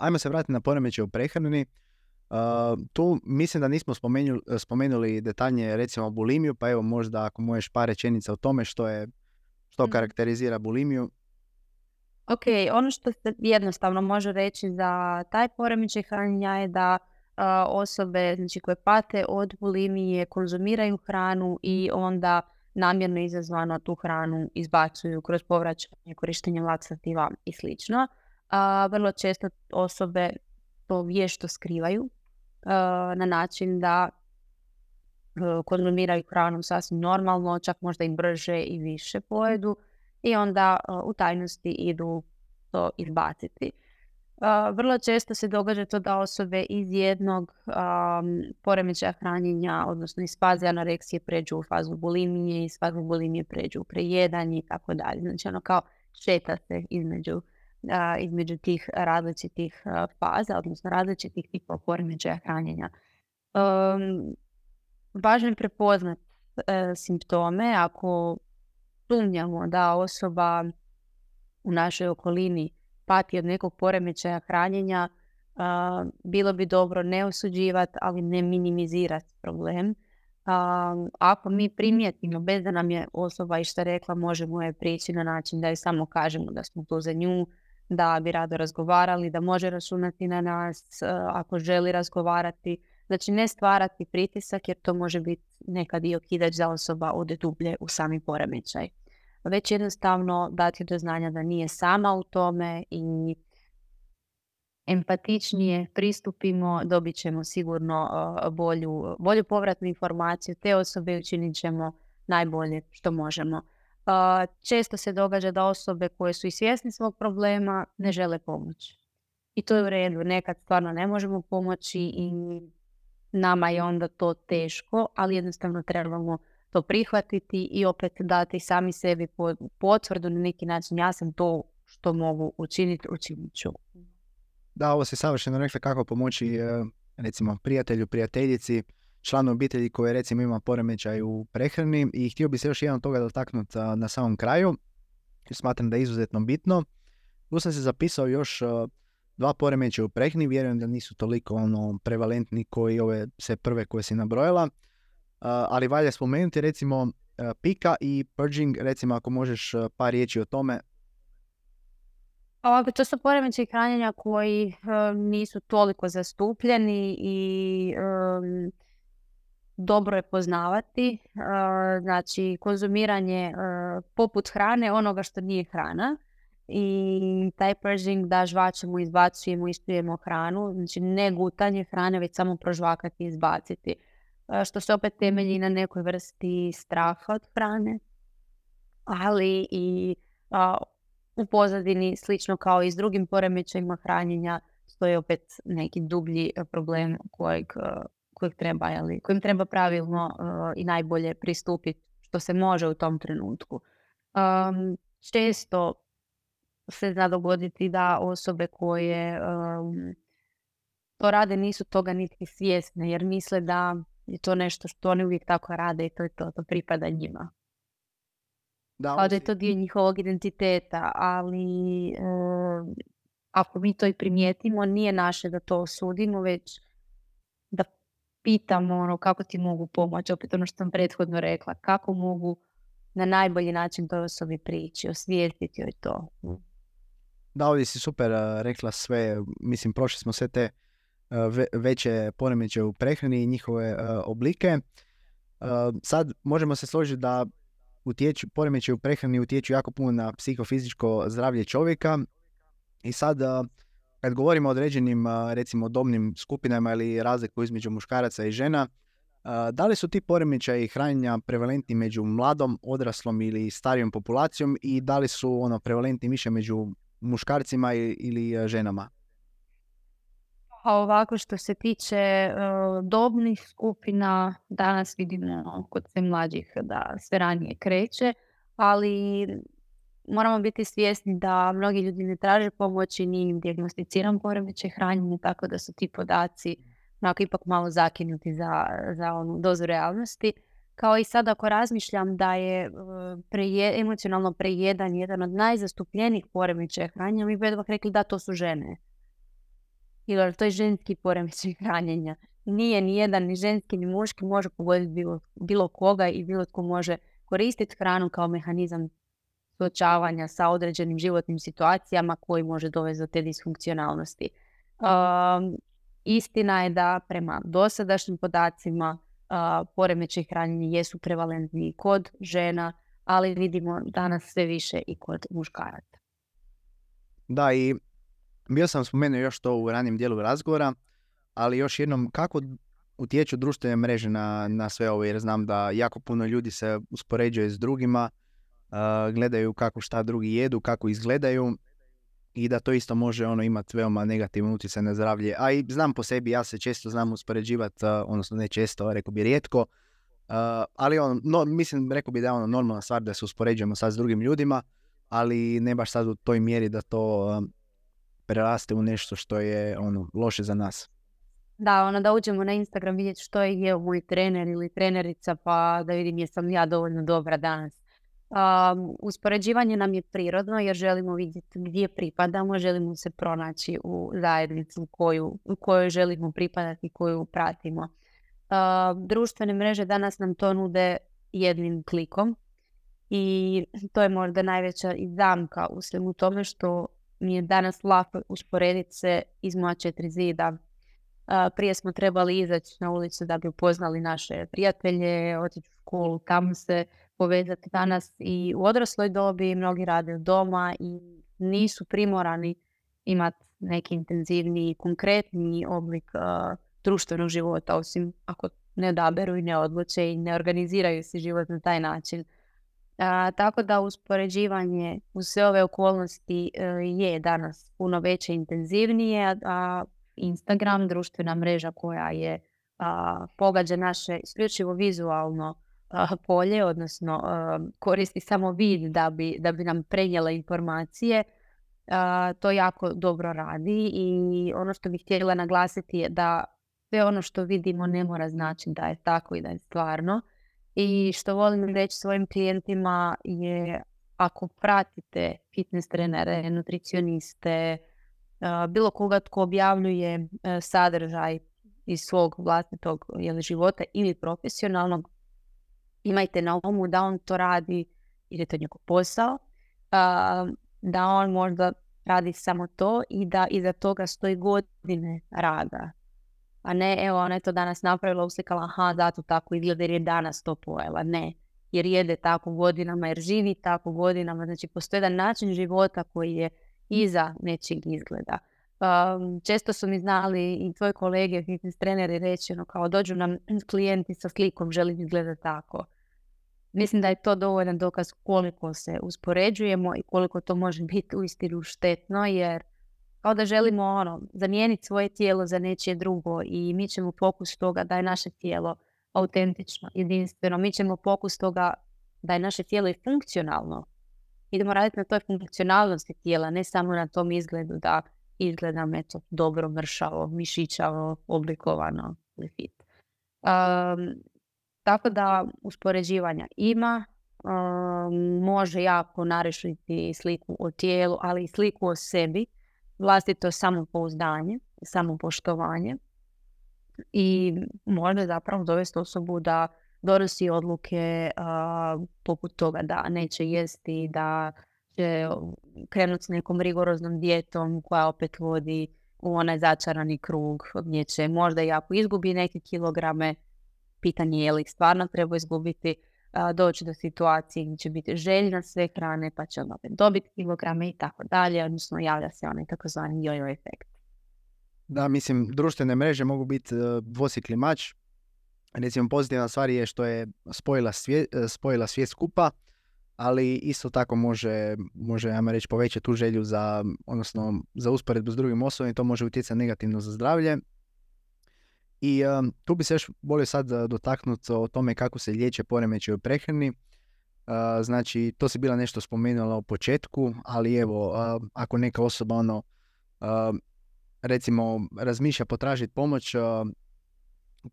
Ajmo se vratiti na poremećaj u prehrani. Tu mislim da nismo spomenuli detaljnije recimo bulimiju, pa evo možda ako možeš par rečenica o tome što karakterizira bulimiju. Ok, ono što se jednostavno može reći za taj poremećaj hranjenja je da osobe, znači, koje pate od bulimije konzumiraju hranu i onda namjerno izazvano tu hranu izbacuju kroz povraćanje, korištenje laksativa i slično. Vrlo često osobe to vješto skrivaju na način da konzumiraju hranu sasvim normalno, čak možda i brže i više pojedu i onda u tajnosti idu to izbaciti. Vrlo često se događa to da osobe iz jednog poremećaja hranjenja, odnosno iz faze anoreksije, pređu u fazu bulimije, iz fazu bulimije pređu u prejedanje i tako dalje. Znači kao šeta se između tih različitih faza, odnosno različitih tipova poremećaja hranjenja. Važno je prepoznati simptome. Ako sumnjamo da osoba u našoj okolini pati od nekog poremećaja hranjenja, bilo bi dobro ne osuđivati, ali ne minimizirati problem. Ako mi primijetimo, bez da nam je osoba išta rekla, možemo je prići na način da joj samo kažemo da smo tu za nju, da bi rado razgovarali, da može računati na nas ako želi razgovarati. Znači ne stvarati pritisak jer to može biti nekad i okidač da osoba ode dublje u sami poremećaj. Već jednostavno dati do znanja da nije sama u tome i empatičnije pristupimo, dobit ćemo sigurno bolju povratnu informaciju te osobe i učinit ćemo najbolje što možemo. Često se događa da osobe koje su i svjesni svog problema ne žele pomoći. I to je u redu. Nekad stvarno ne možemo pomoći i nama je onda to teško, ali jednostavno trebamo to prihvatiti i opet dati sami sebi potvrdu na neki način. Ja sam to što mogu učiniti, učinit ću. Da, ovo se savršeno rekla kako pomoći recimo prijatelju, prijateljici, članu obitelji koji recimo ima poremećaj u prehrani i htio bi se još jedan toga dotaknuti na samom kraju. Smatram da je izuzetno bitno. Tu sam se zapisao još 2 poremećaja u prehrani, vjerujem da nisu toliko prevalentni koji ove sve prve koje si nabrojala, ali valja spomenuti recimo pika i purging, recimo ako možeš par riječi o tome. To su poremećaji hranjenja koji nisu toliko zastupljeni i dobro je poznavati. Znači, konzumiranje poput hrane onoga što nije hrana i taj purging da žvačemo, izbacujemo, ispijemo hranu. Znači, ne gutanje hrane, već samo prožvakati i izbaciti. Što se opet temelji na nekoj vrsti straha od hrane, ali i u pozadini, slično kao i s drugim poremećajima hranjenja, stoji opet neki dublji problem kojim treba pravilno i najbolje pristupiti što se može u tom trenutku. Često se zna dogoditi da osobe koje to rade nisu toga niti svjesne jer misle da je to nešto što oni uvijek tako rade i to pripada njima. Da je to dio njihovog identiteta, ali ako mi to i primijetimo, nije naše da to osudimo, već da pitamo kako ti mogu pomoći, opet ono što sam prethodno rekla, kako mogu na najbolji način toj osobi prići, osvijestiti joj to. Da, ovdje si super rekla sve, mislim prošli smo sve te veće poremećaje u prehrani i njihove oblike. Sad možemo se složiti da poremećaji u prehrani utječu jako puno na psihofizičko zdravlje čovjeka i sad kad govorimo o određenim recimo dobnim skupinama ili razliku između muškaraca i žena, da li su ti poremećaji hranjenja prevalentni među mladom, odraslom ili starijom populacijom i da li su prevalentni više među muškarcima ili ženama? A ovako što se tiče dobnih skupina, danas vidimo kod sve mlađih da sve ranije kreće, ali moramo biti svjesni da mnogi ljudi ne traže pomoći, nije im dijagnosticiran poremećaj hranjenja, tako da su ti podaci ipak malo zakinuti za onu dozu realnosti. Kao i sad ako razmišljam da je emocionalno prejedanje jedan od najzastupljenijih poremećaja hranjenja, mi bi odmah rekli da to su žene. Ili to je ženski poremećaj hranjenja. Nije ni jedan, ni ženski, ni muški, može pogoditi bilo koga i bilo tko može koristiti hranu kao mehanizam suočavanja sa određenim životnim situacijama koji može dovesti do te disfunkcionalnosti. Istina je da prema dosadašnjim podacima poremećaj hranjenja jesu prevalentni kod žena, ali vidimo danas sve više i kod muškaraca. Da, i bio sam spomenuo još to u ranijem dijelu razgovora, ali još jednom, kako utječu društvene mreže na sve ovo, jer znam da jako puno ljudi se uspoređuje s drugima, gledaju kako šta drugi jedu, kako izgledaju i da to isto može imati veoma negativan utjecaj na zdravlje. A i znam po sebi, ja se često znam uspoređivati, odnosno ne često, rekao bi rijetko, ali mislim, rekao bi da je normalna stvar da se uspoređujemo sad s drugim ljudima, ali ne baš sad u toj mjeri da to preraste u nešto što je loše za nas. Da, da uđemo na Instagram vidjeti što je jeo moj trener ili trenerica, pa da vidim jesam ja dovoljno dobra danas. Uspoređivanje nam je prirodno jer želimo vidjeti gdje pripadamo, želimo se pronaći u zajednicu u kojoj želimo pripadati, koju pratimo. Društvene mreže danas nam to nude jednim klikom i to je možda najveća i zamka u svemu tome što mi je danas lako usporediti se iz moja 4 zida. Prije smo trebali izaći na ulicu da bi upoznali naše prijatelje, otići u školu, tamo se povezati. Danas i u odrasloj dobi mnogi rade od doma i nisu primorani imati neki intenzivniji, konkretni oblik društvenog života, osim ako ne odaberu i ne odluče i ne organiziraju si život na taj način. Tako da uspoređivanje u sve ove okolnosti je danas puno veće i intenzivnije, a Instagram, društvena mreža koja je pogađa naše isključivo vizualno polje, odnosno koristi samo vid da bi nam prenijela informacije, to jako dobro radi i ono što bih htjela naglasiti je da sve ono što vidimo ne mora znači da je tako i da je stvarno. I što volim reći svojim klijentima je ako pratite fitness trenere, nutricioniste, bilo koga tko objavljuje sadržaj iz svog vlastitog života ili profesionalnog, imajte na umu da on to radi jer je to njegov posao, da on možda radi samo to i da iza toga stoji godine rada. A ne, evo, ona je to danas napravila, uslikala, aha, zato tako izgleda jer je danas to pojela. Ne, jer jede tako godinama, jer živi tako godinama. Znači, postoji jedan način života koji je iza nečeg izgleda. Često su mi znali i tvoji kolege, fitness treneri, reći, kao dođu nam klijenti sa slikom, želim izgledati tako. Mislim da je to dovoljan dokaz koliko se uspoređujemo i koliko to može biti uistinu štetno, jer kao da želimo zamijeniti svoje tijelo za nečije drugo i mi ćemo fokus toga da je naše tijelo autentično, jedinstveno. Mi ćemo fokus toga da je naše tijelo i funkcionalno. Idemo raditi na toj funkcionalnosti tijela, ne samo na tom izgledu da izgledam dobro, mršavo, mišićavo, oblikovano ili fit. Tako da uspoređivanja ima, može jako narušiti sliku o tijelu, ali i sliku o sebi, vlastito samopouzdanje, samopoštovanje i može zapravo dovesti osobu da donosi odluke poput toga da neće jesti, da će krenuti s nekom rigoroznom dijetom koja opet vodi u onaj začarani krug gdje će možda i ako izgubi neke kilograme, pitanje je li stvarno treba izgubiti, doći do situacije gdje će biti željna sve hrane pa će opet dobiti kilograme i tako dalje, odnosno javlja se onaj takozvani jojo efekt. Da, mislim, društvene mreže mogu biti dvosjekli mač. Recimo, pozitivna stvar je što je spojila svijet skupa, ali isto tako može ajmo reći, povećati tu želju za usporedbu s drugim osobama i to može utjecati negativno za zdravlje. I tu bi se još volio sad dotaknuti o tome kako se liječe poremećaji u prehrani. Znači, to si bila nešto spomenula u početku, ali evo, ako neka osoba recimo razmišlja potražiti pomoć,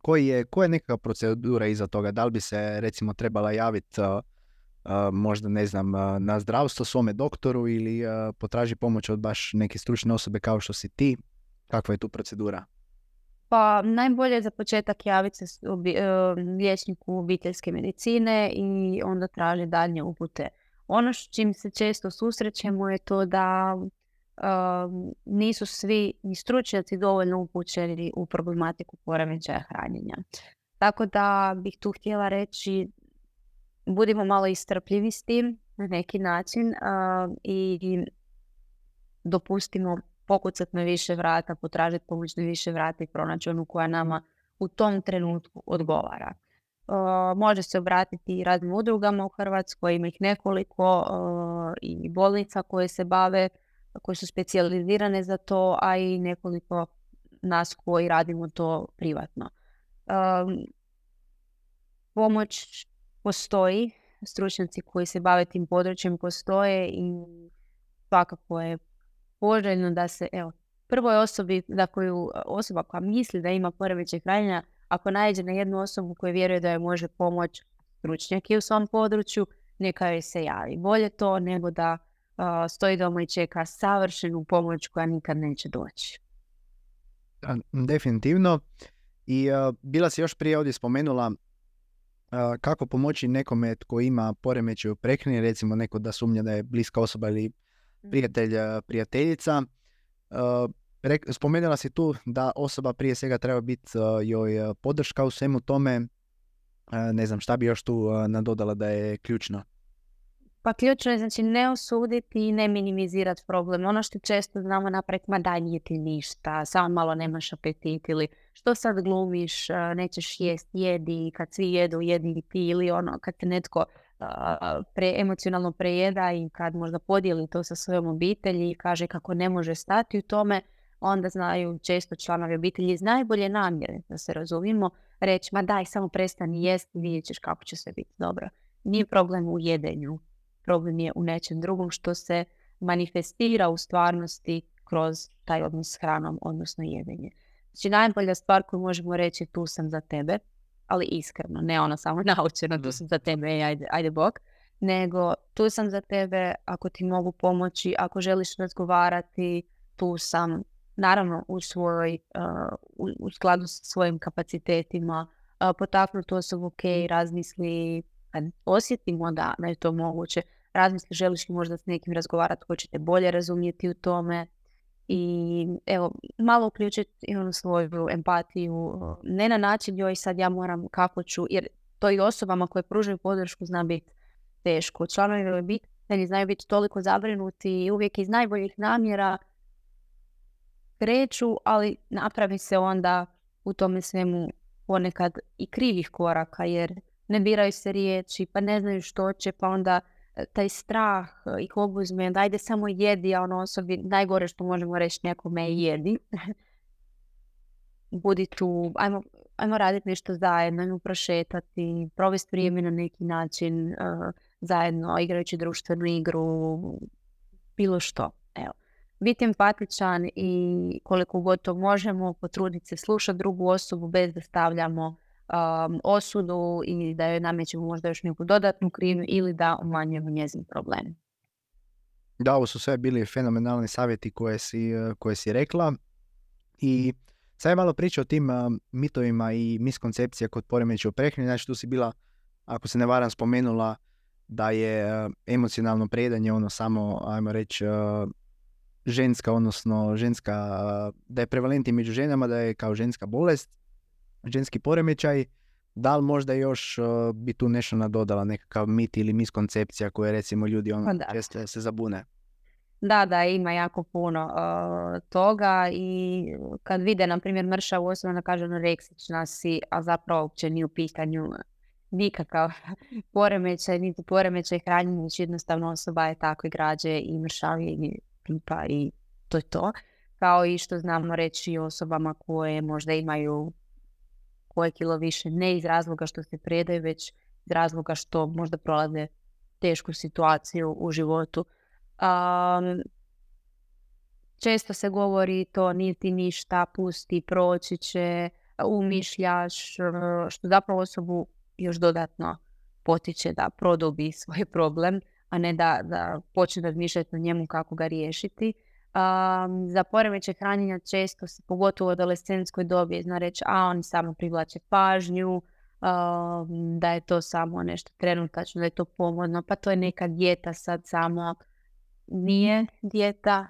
koja je nekakva procedura iza toga? Da li bi se recimo trebala javiti možda ne znam na zdravstvo svome doktoru ili potraži pomoć od baš neke stručne osobe kao što si ti? Kakva je tu procedura? Pa najbolje za početak javiti se liječniku obiteljske medicine i onda traži daljnje upute. Ono s čim se često susrećemo je to da nisu svi ni stručnjaci dovoljno upućeni u problematiku poremećaja hranjenja. Tako da bih tu htjela reći budimo malo istrpljivi s tim na neki način i dopustimo pokucati na više vrata, potražiti pomoć na više vrata i pronaći onu koja nama u tom trenutku odgovara. Može se obratiti i raznim udrugama u Hrvatskoj, ima ih nekoliko i bolnica koje se bave, koje su specijalizirane za to, a i nekoliko nas koji radimo to privatno. Pomoć postoji, stručnjaci koji se bave tim područjem postoje i svakako je poželjno da se, prvoj osobi, osoba koja misli da ima poremećaj hranjenja, ako naiđe na jednu osobu koja vjeruje da joj može pomoći, stručnjak je u svom području, neka joj se javi. Bolje to nego da stoji doma i čeka savršenu pomoć koja nikad neće doći. Definitivno. I bila si još prije ovdje spomenula kako pomoći nekome tko ima poremećaj u prehrani, recimo neko da sumnja da je bliska osoba ili prijatelj, prijateljica. Spomenula si tu da osoba prije svega treba biti joj podrška u svemu tome. Ne znam, šta bi još tu nadodala da je ključno? Pa ključno je znači ne osuditi i ne minimizirati problem. Ono što često znamo napraviti, ma daj nije ti ništa, samo malo nemaš apetit ili što sad glumiš, nećeš jest, jedi, kad svi jedu, jedi i ti, ili ono kad te netko emocionalno prejeda i kad možda podijeli to sa svojom obitelji i kaže kako ne može stati u tome, onda znaju često članovi obitelji iz najbolje namjere, da se razumijemo, reći ma daj samo prestani jesti, vidjet ćeš kako će sve biti dobro. Nije problem u jedenju. Problem je u nečem drugom što se manifestira u stvarnosti kroz taj odnos s hranom, odnosno jedenje. Znači najbolja stvar koju možemo reći tu sam za tebe, ali iskreno, ne ono samo naučeno tu sam za tebe, ajde bok, nego tu sam za tebe ako ti mogu pomoći, ako želiš razgovarati, tu sam, naravno u skladu sa svojim kapacitetima, potaknuti osobu, ok, razmisli, kad osjetimo da je to moguće, razmisli želiš li možda s nekim razgovarati ko će te bolje razumjeti u tome i evo, malo uključiti svoju empatiju, ne na način joj sad ja moram kako ću, jer to i osobama koje pružaju podršku zna biti teško. Članovi obitelji znaju biti toliko zabrinuti i uvijek iz najboljih namjera kreću, ali napravi se onda u tome svemu ponekad i krivih koraka, jer ne biraju se riječi, pa ne znaju što će, pa onda taj strah ih obuzme, da ajde samo jedi, a ono osobi najgore što možemo reći nekome je jedi. Budi tu, ajmo raditi nešto zajedno, ajmo prošetati, provesti vrijeme na neki način zajedno, igrajući društvenu igru, bilo što. Evo. Biti empatičan i koliko god to možemo, potruditi se slušati drugu osobu bez da stavljamo osudu i da joj namećemo možda još neku dodatnu krivnju ili da umanjujemo njezin problem. Da, ovo su sve bili fenomenalni savjeti koje si rekla i sad je malo priča o tim mitovima i miskoncepcija kod poremećaja u prehrani. Znači tu si bila, ako se ne varam, spomenula da je emocionalno prejedanje ono samo, ajmo reći, ženska, odnosno da je prevalentni među ženama, da je kao ženska bolest, ženski poremećaj. Da li možda još bi tu nešto nadodala, nekakav mit ili miskoncepcija koje recimo ljudi često se zabune? Da, ima jako puno toga i kad vide, na primjer, mršavu osobu, onda kaže anoreksična si, a zapravo uopće nije u pitanju nikakav poremećaj, niti poremećaj hranjenja, već jednostavno osoba je takve građe i mršavije i pipa i to je to. Kao i što znamo reći osobama koje možda imaju koje kilo više, ne iz razloga što se predaju, već iz razloga što možda prolaze tešku situaciju u životu. Često se govori to nije ti ništa, pusti, proći će, umišljaš, što zapravo osobu još dodatno potiče da produbi svoj problem, a ne da počne razmišljati o njemu kako ga riješiti. Za poremećaj hranjenja često se, pogotovo u adolescentskoj dobi, zna reći, oni samo privlače pažnju, da je to samo nešto trenutačno, da je to pomodno, pa to je neka dijeta sad samo. Nije dijeta,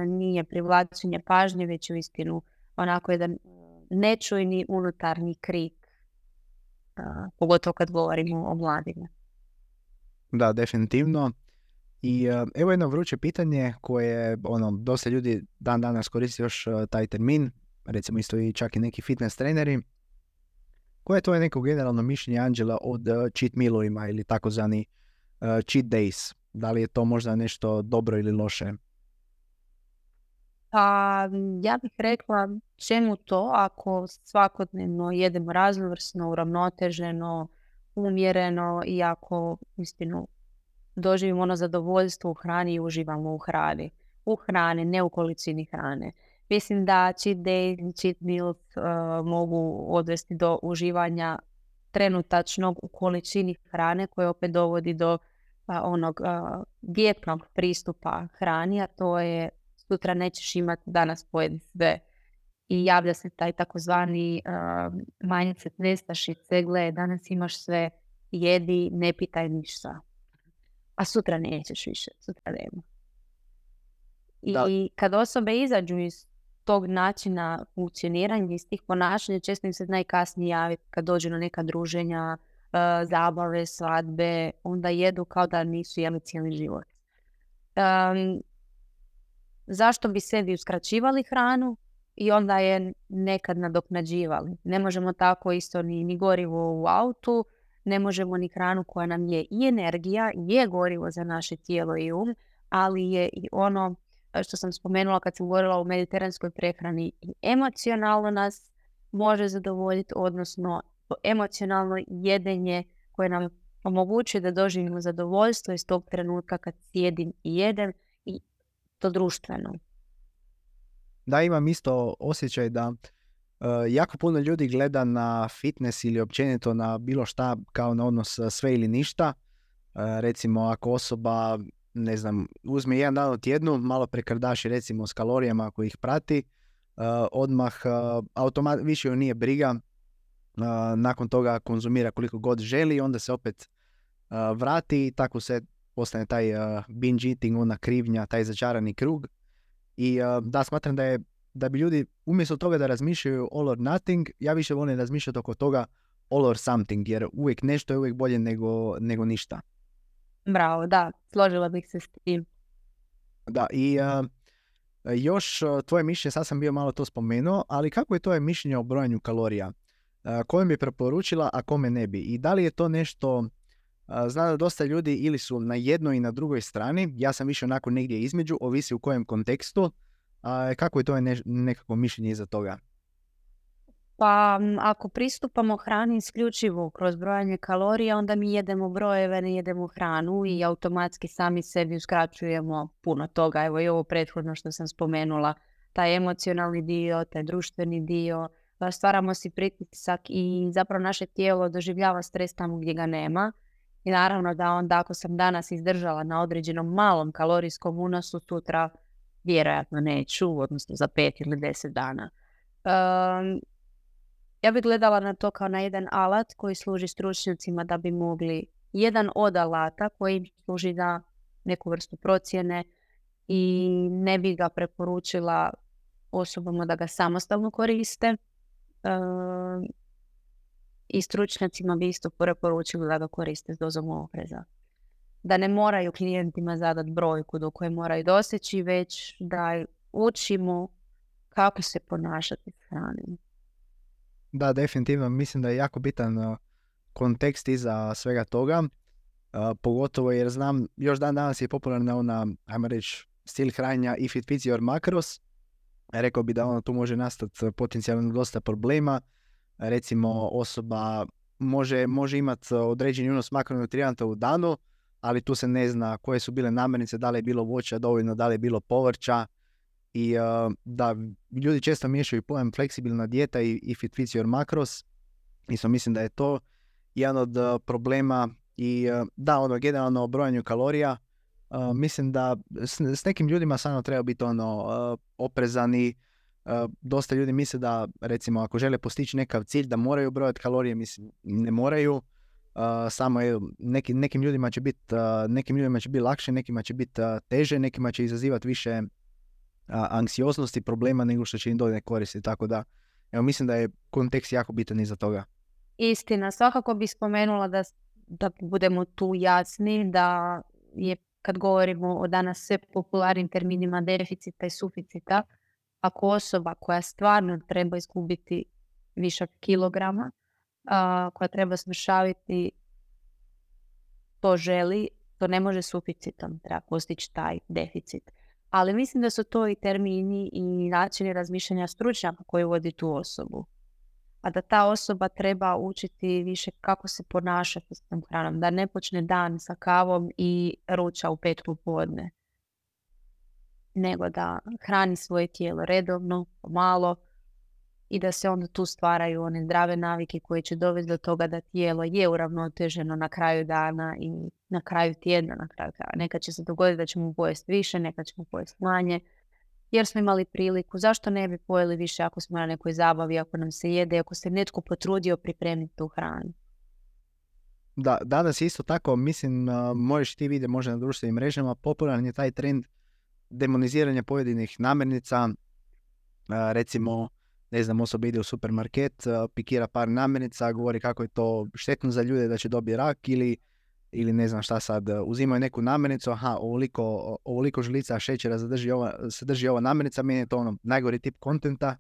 nije privlačenje pažnje, već uistinu onako jedan nečujni unutarnji krik, pogotovo kad govorimo o mladima. Da, definitivno. I evo jedno vruće pitanje koje dosta ljudi dan danas koristi još taj termin, recimo isto i čak i neki fitness treneri. Koje je tvoje neko generalno mišljenje, Anđela, od cheat mealovima ili takozvani cheat days? Da li je to možda nešto dobro ili loše? Pa ja bih rekla čemu to ako svakodnevno jedemo raznovrsno, uravnoteženo, umjereno i ako istinu doživimo ono zadovoljstvo u hrani i uživamo u hrani. U hrani, ne u količini hrane. Mislim da cheat day, cheat meals mogu odvesti do uživanja trenutačnog u količini hrane koje opet dovodi do onog dijetnog pristupa hrani, a to je sutra nećeš imati, danas pojedi sve. I javlja se taj takozvani mindset nestašice, gle, danas imaš sve, jedi, ne pitaj ništa. A sutra nećeš više, sutra nema. I kad osobe izađu iz tog načina funkcioniranja, iz tih ponašanja, često im se najkasnije javi kad dođu na neka druženja, zabave, svadbe, onda jedu kao da nisu jeli cijeli život. Zašto bi sebi uskraćivali hranu i onda je nekad nadoknađivali? Ne možemo tako isto ni gorivo u autu, ne možemo ni hranu koja nam je i energija, je gorivo za naše tijelo i ali je i ono što sam spomenula kad sam govorila o mediteranskoj prehrani, i emocionalno nas može zadovoljiti, odnosno emocionalno jedenje koje nam omogućuje da doživimo zadovoljstvo iz tog trenutka kad sjedim i jedem, i to društveno. Da, imam isto osjećaj da jako puno ljudi gleda na fitness ili općenito na bilo šta kao na odnos sve ili ništa. Recimo ako osoba, ne znam, uzme jedan dan u tjednu, malo prekrdaši recimo s kalorijama ako ih prati, odmah više joj nije briga, nakon toga konzumira koliko god želi, onda se opet vrati i tako se postane taj binge eating, ona krivnja, taj začarani krug. I da, smatram da bi ljudi umjesto toga da razmišljaju all or nothing, ja više volim razmišljati oko toga all or something, jer uvijek nešto je uvijek bolje nego ništa. Bravo, da, složila bih se s tim. Da, i još tvoje mišljenje, sad sam bio malo to spomenuo, ali kako je tvoje mišljenje o brojanju kalorija? Koje bi preporučila, a kome ne bi? I da li je to nešto, znam da dosta ljudi ili su na jednoj i na drugoj strani, ja sam više onako negdje između, ovisi u kojem kontekstu, kako je to nekako mišljenje iza toga? Pa ako pristupamo hrani isključivo kroz brojanje kalorija, onda mi jedemo brojeve, ne jedemo hranu i automatski sami sebi uskraćujemo puno toga. Evo i ovo prethodno što sam spomenula, taj emocionalni dio, taj društveni dio, stvaramo si pritisak i zapravo naše tijelo doživljava stres tamo gdje ga nema. I naravno da onda ako sam danas izdržala na određenom malom kalorijskom unosu, sutra vjerojatno neću, odnosno za 5 ili 10 dana. Ja bih gledala na to kao na jedan alat koji služi stručnjacima da bi mogli, jedan od alata koji im služi za neku vrstu procjene, i ne bi ga preporučila osobama da ga samostalno koriste. I stručnjacima bi isto preporučili da ga koriste s dozom opreza. Da ne moraju klijentima zadati brojku do koje moraju doseći, već da učimo kako se ponašati s hranom. Da, definitivno. Mislim da je jako bitan kontekst iza svega toga. Pogotovo jer znam, još dan danas je popularna ona, ajmo reći, stil hranjenja if it fits your macros. Rekao bi da tu može nastati potencijalno dosta problema. Recimo osoba može imati određeni unos makronutrijenta u danu, ali tu se ne zna koje su bile namirnice, da li je bilo voća dovoljno, da li je bilo povrća. I da, ljudi često miješaju pojam fleksibilna dijeta i if it fits your macros. Isto mislim da je to jedan od problema. I da, generalno o brojanju kalorija, mislim da s nekim ljudima samo treba biti oprezani. Dosta ljudi misle da, recimo, ako žele postići nekav cilj, da moraju brojati kalorije. Mislim, ne moraju. Samo nekim ljudima će biti lakše, nekima će biti teže, nekima će izazivati više anksioznosti, problema nego što će im donijeti koristi. Tako da, evo, mislim da je kontekst jako bitan iza toga. Istina, svakako bih spomenula da budemo tu jasni, da je, kad govorimo o danas sve popularnim terminima deficita i suficita, ako osoba koja stvarno treba izgubiti višak kilograma, koja treba smršaviti, to želi, to ne može suficitom, treba postići taj deficit. Ali mislim da su to i termini i načini razmišljanja stručnjaka koji vodi tu osobu. A da ta osoba treba učiti više kako se ponašati s tom hranom, da ne počne dan sa kavom i ruča u 5 popodne, nego da hrani svoje tijelo redovno, malo, i da se onda tu stvaraju one zdrave navike koje će dovesti do toga da tijelo je uravnoteženo na kraju dana i na kraju tjedna, na kraju krajeva. Nekad će se dogoditi da ćemo pojesti više, nekad ćemo pojesti manje, jer smo imali priliku. Zašto ne bi pojeli više ako smo na nekoj zabavi, ako nam se jede, ako se netko potrudio pripremiti tu hranu? Da, danas isto tako, mislim, možeš ti vidjeti možda na društvenim mrežama, popularan je taj trend demoniziranja pojedinih namirnica. Recimo, ne znam, osoba ide u supermarket, pikira par namirnica, govori kako je to štetno za ljude, da će dobiti rak ili ne znam šta sad, uzimaju neku namirnicu, ovoliko žlica šećera sadrži ova namirnica, meni je to ono najgori tip kontenta.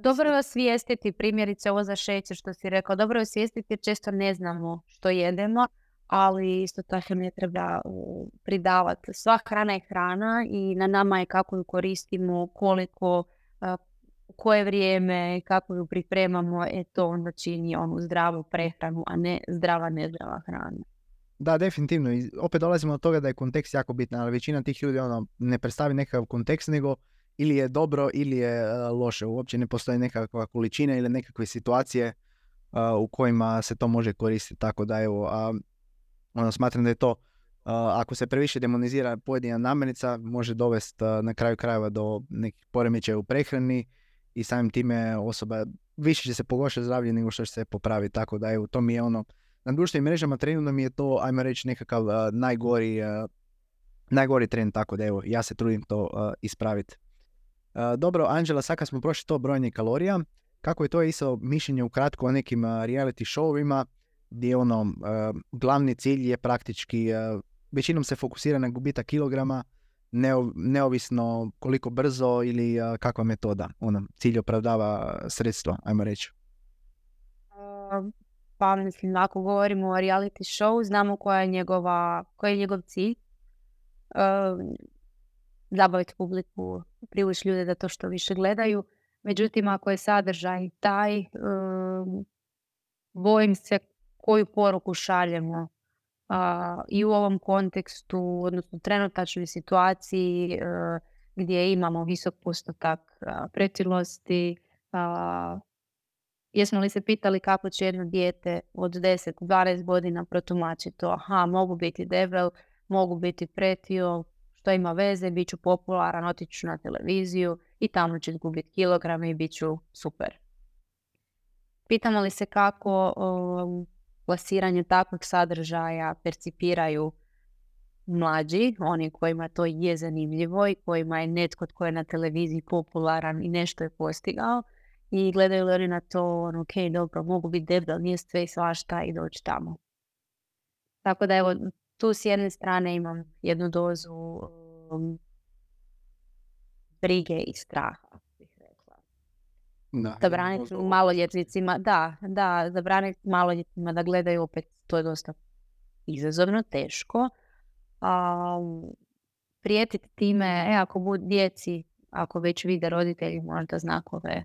Dobro je osvijestiti, primjerice ovo za šećer što si rekao, dobro je osvijestiti jer često ne znamo što jedemo, ali isto tako ne treba pridavati. Sva hrana je hrana i na nama je kako ju koristimo, koliko, u koje vrijeme, kako ju pripremamo, to onda čini onu zdravu prehranu, a ne nezdrava hrana. Da, definitivno. I opet dolazimo do toga da je kontekst jako bitan, ali većina tih ljudi ne predstavi nekakav kontekst, nego ili je dobro ili je loše. Uopće ne postoji nekakva količina ili nekakve situacije u kojima se to može koristiti. Tako da evo, smatram da je to, ako se previše demonizira pojedina namirnica, može dovesti na kraju krajeva do nekih poremećaja u prehrani i samim time osoba više će se pogoršati zdravlje nego što će se popraviti. Tako da evo, to mi je na društvenim mrežama trenutno mi je to, ajmo reći, nekakav najgori trend, tako da evo, ja se trudim to ispraviti. Dobro, Anđela, sad kad smo prošli to brojanje kalorija, kako je to isto mišljenje ukratko o nekim reality showovima gdje glavni cilj je praktički, većinom se fokusira na gubitak kilograma, neovisno koliko brzo ili kakva metoda. Cilj opravdava sredstvo, ajmo reći. Pa mislim, ako govorimo o reality show, znamo koji je njegov cilj. Zabaviti publiku, privući ljude da to što više gledaju. Međutim, ako je sadržaj taj, bojim se koju poruku šaljemo i u ovom kontekstu, odnosno trenutačnoj situaciji gdje imamo visok postotak pretilosti. Jesmo li se pitali kako će jedno dijete od 10-12 godina protumačiti to? Mogu biti debel, mogu biti pretio, što ima veze, bit ću popularan, otići ću na televiziju i tamo ću izgubiti kilograme i bit ću super. Pitamo li se kako plasiranje takvog sadržaja percipiraju mlađi, oni kojima to je zanimljivo i kojima je netko tko je na televiziji popularan i nešto je postigao i gledaju li oni na to, ok, dobro, mogu biti debel, nije sve i svašta i doći tamo. Tako da evo, tu s jedne strane imam jednu dozu brige i straha, bih rekla. Zabraniti maloljetnicima, zabraniti maloljetnicima da gledaju, opet to je dosta izazovno, teško. Prijetiti time, ako budu djeci, ako već vide roditelji možda znakove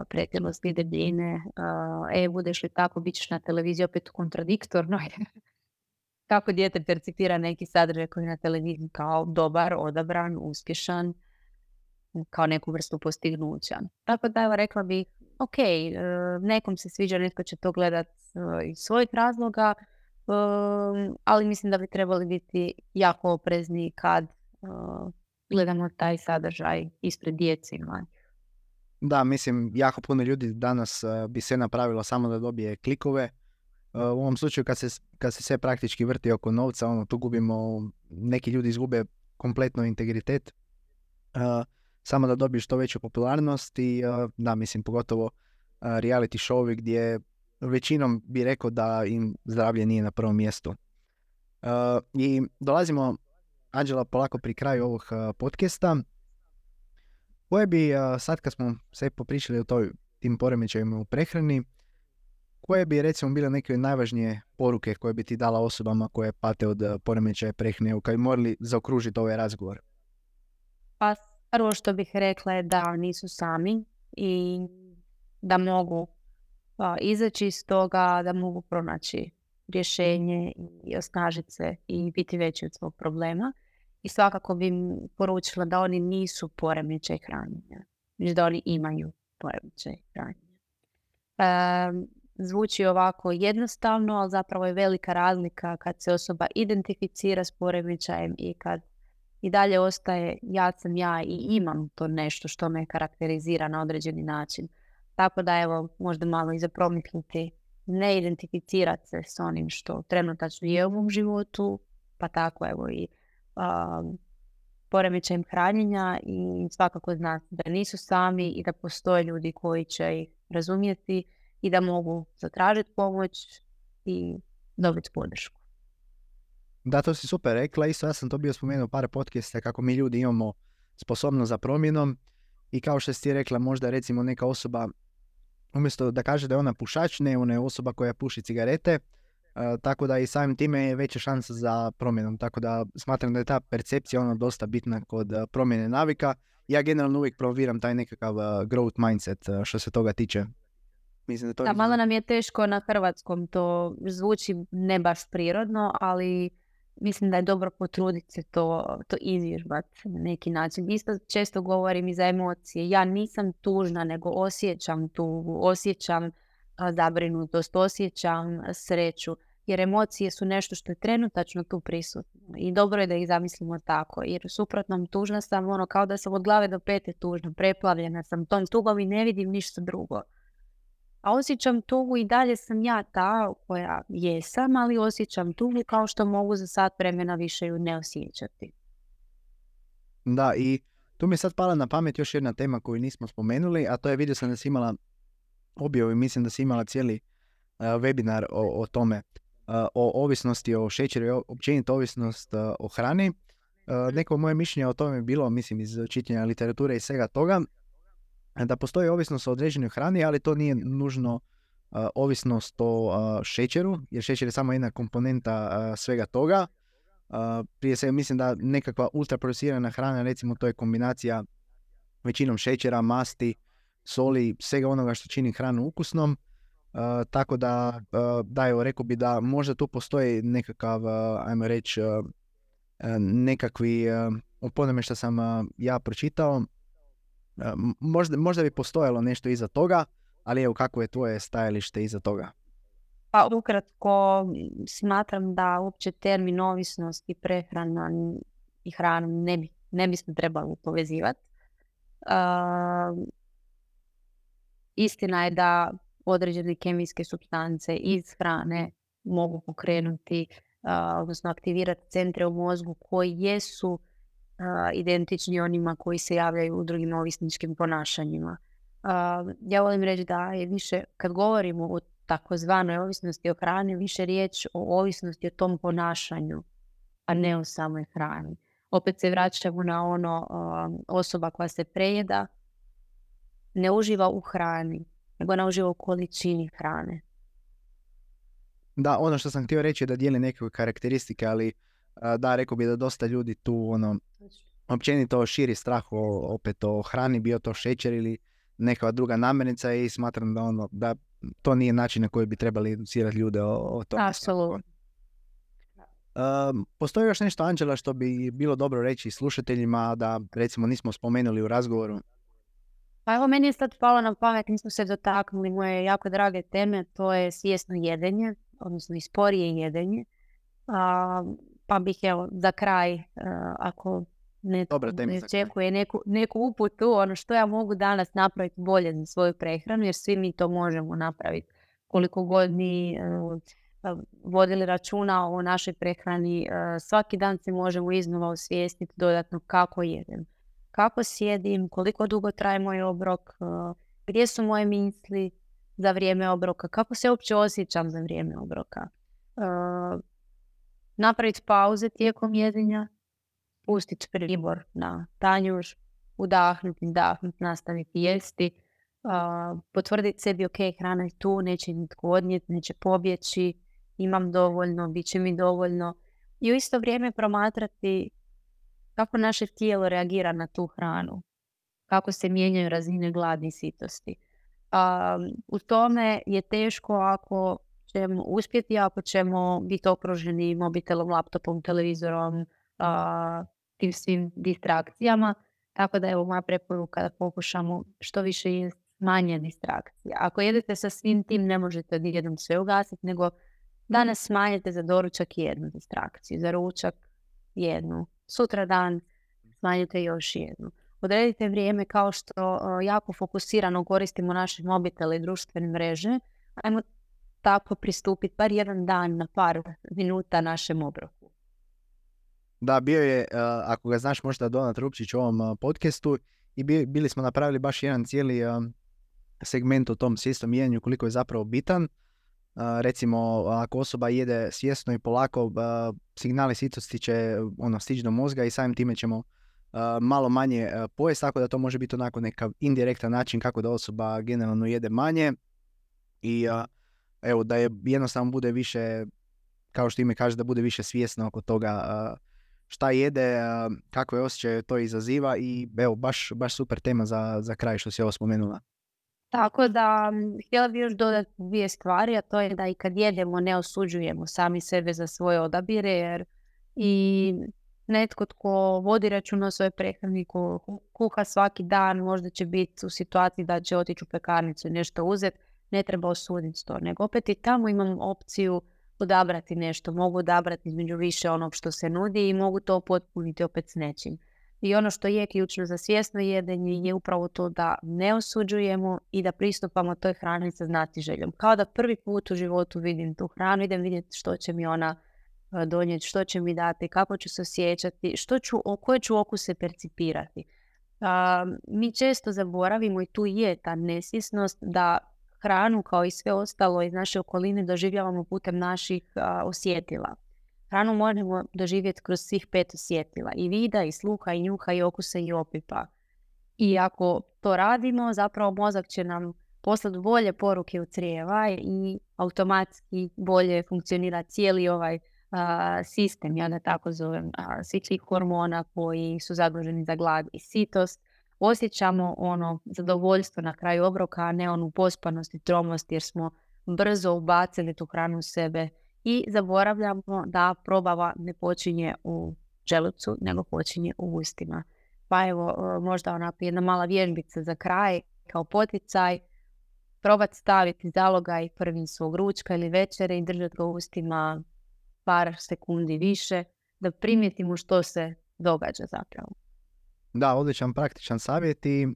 pretilosti, debljine, budeš li tako, bit ćeš na televiziji, opet kontradiktorno. Kako dijete percipira neki sadržaj koji je na televiziji kao dobar, odabran, uspješan, kao neku vrstu postignuća. Tako da evo, rekla bih, ok, nekom se sviđa, netko će to gledat iz svojih razloga, ali mislim da bi trebali biti jako oprezni kad gledamo taj sadržaj ispred djece i mladih. Da, mislim, jako puno ljudi danas bi sve napravilo samo da dobije klikove. U ovom slučaju kad se sve praktički vrti oko novca, tu gubimo, neki ljudi izgube kompletno integritet, samo da dobiju što veću popularnost i da, mislim, pogotovo reality showovi gdje većinom bi rekao da im zdravlje nije na prvom mjestu. I dolazimo, Anđela, polako pri kraju ovog podcasta. Koje bi, sad kad smo sve popričali o tim poremećajima u prehrani, koje bi recimo bile neke najvažnije poruke koje bi ti dala osobama koje pate od poremećaja prehrane, kad bi morali zaokružiti ovaj razgovor? Pa prvo što bih rekla je da nisu sami i da mogu izaći iz toga, da mogu pronaći rješenje i osnažiti se i biti veći od svog problema. I svakako bi im poručila da oni nisu poremećaj hranjenja. već da oni imaju poremećaj hranjenja. Zvuči ovako jednostavno, ali zapravo je velika razlika kad se osoba identificira s poremećajem i kad i dalje ostaje ja sam ja i imam to nešto što me karakterizira na određeni način. Tako da evo, možda malo i zapromisliti, ne identificirati se s onim što trenutačno je u mom životu, pa tako evo i poremećajem hranjenja i svakako znati da nisu sami i da postoje ljudi koji će ih razumjeti i da mogu zatražiti pomoć i dobiti podršku. Da, to si super rekla. Isto ja sam to bio spomenuo par podcasta kako mi ljudi imamo sposobnost za promjenom i kao što si ti rekla, možda recimo neka osoba umjesto da kaže da je ona pušač, ne, ona je osoba koja puši cigarete, tako da i samim time je veća šansa za promjenom. Tako da smatram da je ta percepcija ona dosta bitna kod promjene navika. Ja generalno uvijek promoviram taj nekakav growth mindset što se toga tiče. Mislim da malo nam je teško na hrvatskom, to zvuči ne baš prirodno, ali mislim da je dobro potruditi se to izvježbati na neki način. Isto često govorim i za emocije. Ja nisam tužna, nego osjećam tugu, osjećam zabrinutost, osjećam sreću. Jer emocije su nešto što je trenutačno tu prisutno. I dobro je da ih zamislimo tako. Jer u suprotnom tužna sam kao da sam od glave do pete tužna, preplavljena sam tom tugom i ne vidim ništa drugo. A osjećam tugu i dalje sam ja ta koja jesam, ali osjećam tugu kao što mogu za sat vremena više ju ne osjećati. Da, i tu mi je sad pala na pamet još jedna tema koju nismo spomenuli, a to je, vidio sam da si imala objavu i mislim da si imala cijeli webinar o tome, o ovisnosti o šećeru i općenito ovisnost o hrani. Neko moje mišljenje o tome je bilo, mislim, iz čitanja literature i svega toga, da postoji ovisnost o određenoj hrani, ali to nije nužno ovisnost o šećeru, jer šećer je samo jedna komponenta svega toga. Prije svega mislim da nekakva ultraprocesirana hrana, recimo to je kombinacija većinom šećera, masti, soli, svega onoga što čini hranu ukusnom. Tako da, evo, rekao bi da možda tu postoji nekakav, ajmo reći, nekakvi, po onome što sam ja pročitao, možda bi postojalo nešto iza toga, ali evo, kako je tvoje stajalište iza toga? Pa ukratko, smatram da uopće termin ovisnost i prehrana i hrana ne bismo trebali povezivati. Istina je da određene kemijske supstance iz hrane mogu pokrenuti, odnosno aktivirati centre u mozgu koji jesu identični onima koji se javljaju u drugim ovisničkim ponašanjima. Ja volim reći da je više, kad govorimo o takozvanoj ovisnosti o hrani, više riječ o ovisnosti o tom ponašanju, a ne o samoj hrani. Opet se vraćamo na osoba koja se prejeda, ne uživa u hrani, nego ona uživa u količini hrane. Da, ono što sam htio reći je da dijeli neke karakteristike, ali da, rekao bi da dosta ljudi tu općenito širi strah opet o hrani, bio to šećer ili neka druga namirnica, i smatram da to nije način na koji bi trebali educirati ljude o tome. Apsolutno. Postoji još nešto, Anđela, što bi bilo dobro reći slušateljima da recimo nismo spomenuli u razgovoru? Pa evo, meni je sad palo na pamet, nismo se dotaknuli moje jako drage teme, to je svjesno jedenje, odnosno i sporije jedenje. Pa bih evo za kraj, ako netko ne očekuje neku uputu, što ja mogu danas napraviti bolje za svoju prehranu, jer svi mi to možemo napraviti. Koliko god mi vodili računa o našoj prehrani, svaki dan se možemo iznova osvijestiti dodatno kako jedem, kako sjedim, koliko dugo traje moj obrok, gdje su moje misli za vrijeme obroka, kako se uopće osjećam za vrijeme obroka. Napraviti pauze tijekom jedenja, pustiti pribor na tanjur, udahnuti, izdahnuti, nastaviti jesti, potvrditi sebi ok, hrana je tu, neće nitko odnijeti, neće pobjeći, imam dovoljno, bit će mi dovoljno. I u isto vrijeme promatrati kako naše tijelo reagira na tu hranu, kako se mijenjaju razine gladi i sitosti. U tome je teško ako ćemo uspjeti, ako ćemo biti okruženi mobitelom, laptopom, televizorom, tim svim distrakcijama, Tako da evo moja preporuka da pokušamo što više jesti manje distrakcija. Ako jedete sa svim tim, ne možete odjednom sve ugasiti, nego danas smanjite za doručak jednu distrakciju, za ručak jednu, sutra dan smanjite još jednu. Odredite vrijeme kao što jako fokusirano koristimo naše mobitele i društvene mreže. Ajmo tako pristupiti bar jedan dan na par minuta našem obroku. Da, bio je, ako ga znaš možda Donat Rupčić u ovom podcastu i bili smo napravili baš jedan cijeli segment o tom svjesnom jedanju koliko je zapravo bitan. Recimo, ako osoba jede svjesno i polako, signali sitosti će stići do mozga i samim time ćemo malo manje pojesti, tako da to može biti onako nekav indirektan način kako da osoba generalno jede manje i evo da je jednostavno bude više, kao što ime kaže, da bude više svjesno oko toga šta jede, kakve osjećaje to izaziva i evo baš super tema za kraj što si ovo spomenula. Tako da, htjela bih još dodati dvije stvari, a to je da i kad jedemo ne osuđujemo sami sebe za svoje odabire, jer i netko tko vodi računa o svojoj prehrani, ko kuha svaki dan, možda će biti u situaciji da će otići u pekarnicu i nešto uzeti, ne treba osuditi to, nego opet i tamo imam opciju odabrati nešto, mogu odabrati između više onog što se nudi i mogu to potpuniti opet s nečim. I ono što je ključno za svjesno jedenje je upravo to da ne osuđujemo i da pristupamo toj hrani sa znatiželjom. Kao da prvi put u životu vidim tu hranu, idem vidjeti što će mi ona donijeti, što će mi dati, kako ću se osjećati, koje ću okuse percipirati. Mi često zaboravimo i tu je ta nesvjesnost da hranu kao i sve ostalo iz naše okoline doživljavamo putem naših osjetila. Hranu možemo doživjeti kroz svih 5 osjetila. I vida, i sluha, i njuha, i okusa, i opipa. I ako to radimo, zapravo mozak će nam poslati bolje poruke u crijeva i automatski bolje funkcionira cijeli ovaj sistem, ja da tako zovem, svih tih hormona koji su zaduženi za glad i sitost. Osjećamo ono zadovoljstvo na kraju obroka, a ne onu pospanost i tromost jer smo brzo ubacili tu hranu u sebe. I zaboravljamo da probava ne počinje u želucu, nego počinje u ustima. Pa evo, možda onako jedna mala vježbica za kraj, kao poticaj, probati staviti zalogaj prvim svog ručka ili večere i držati ga u ustima par sekundi više, da primijetimo što se događa zapravo. Da, odličan praktičan savjet i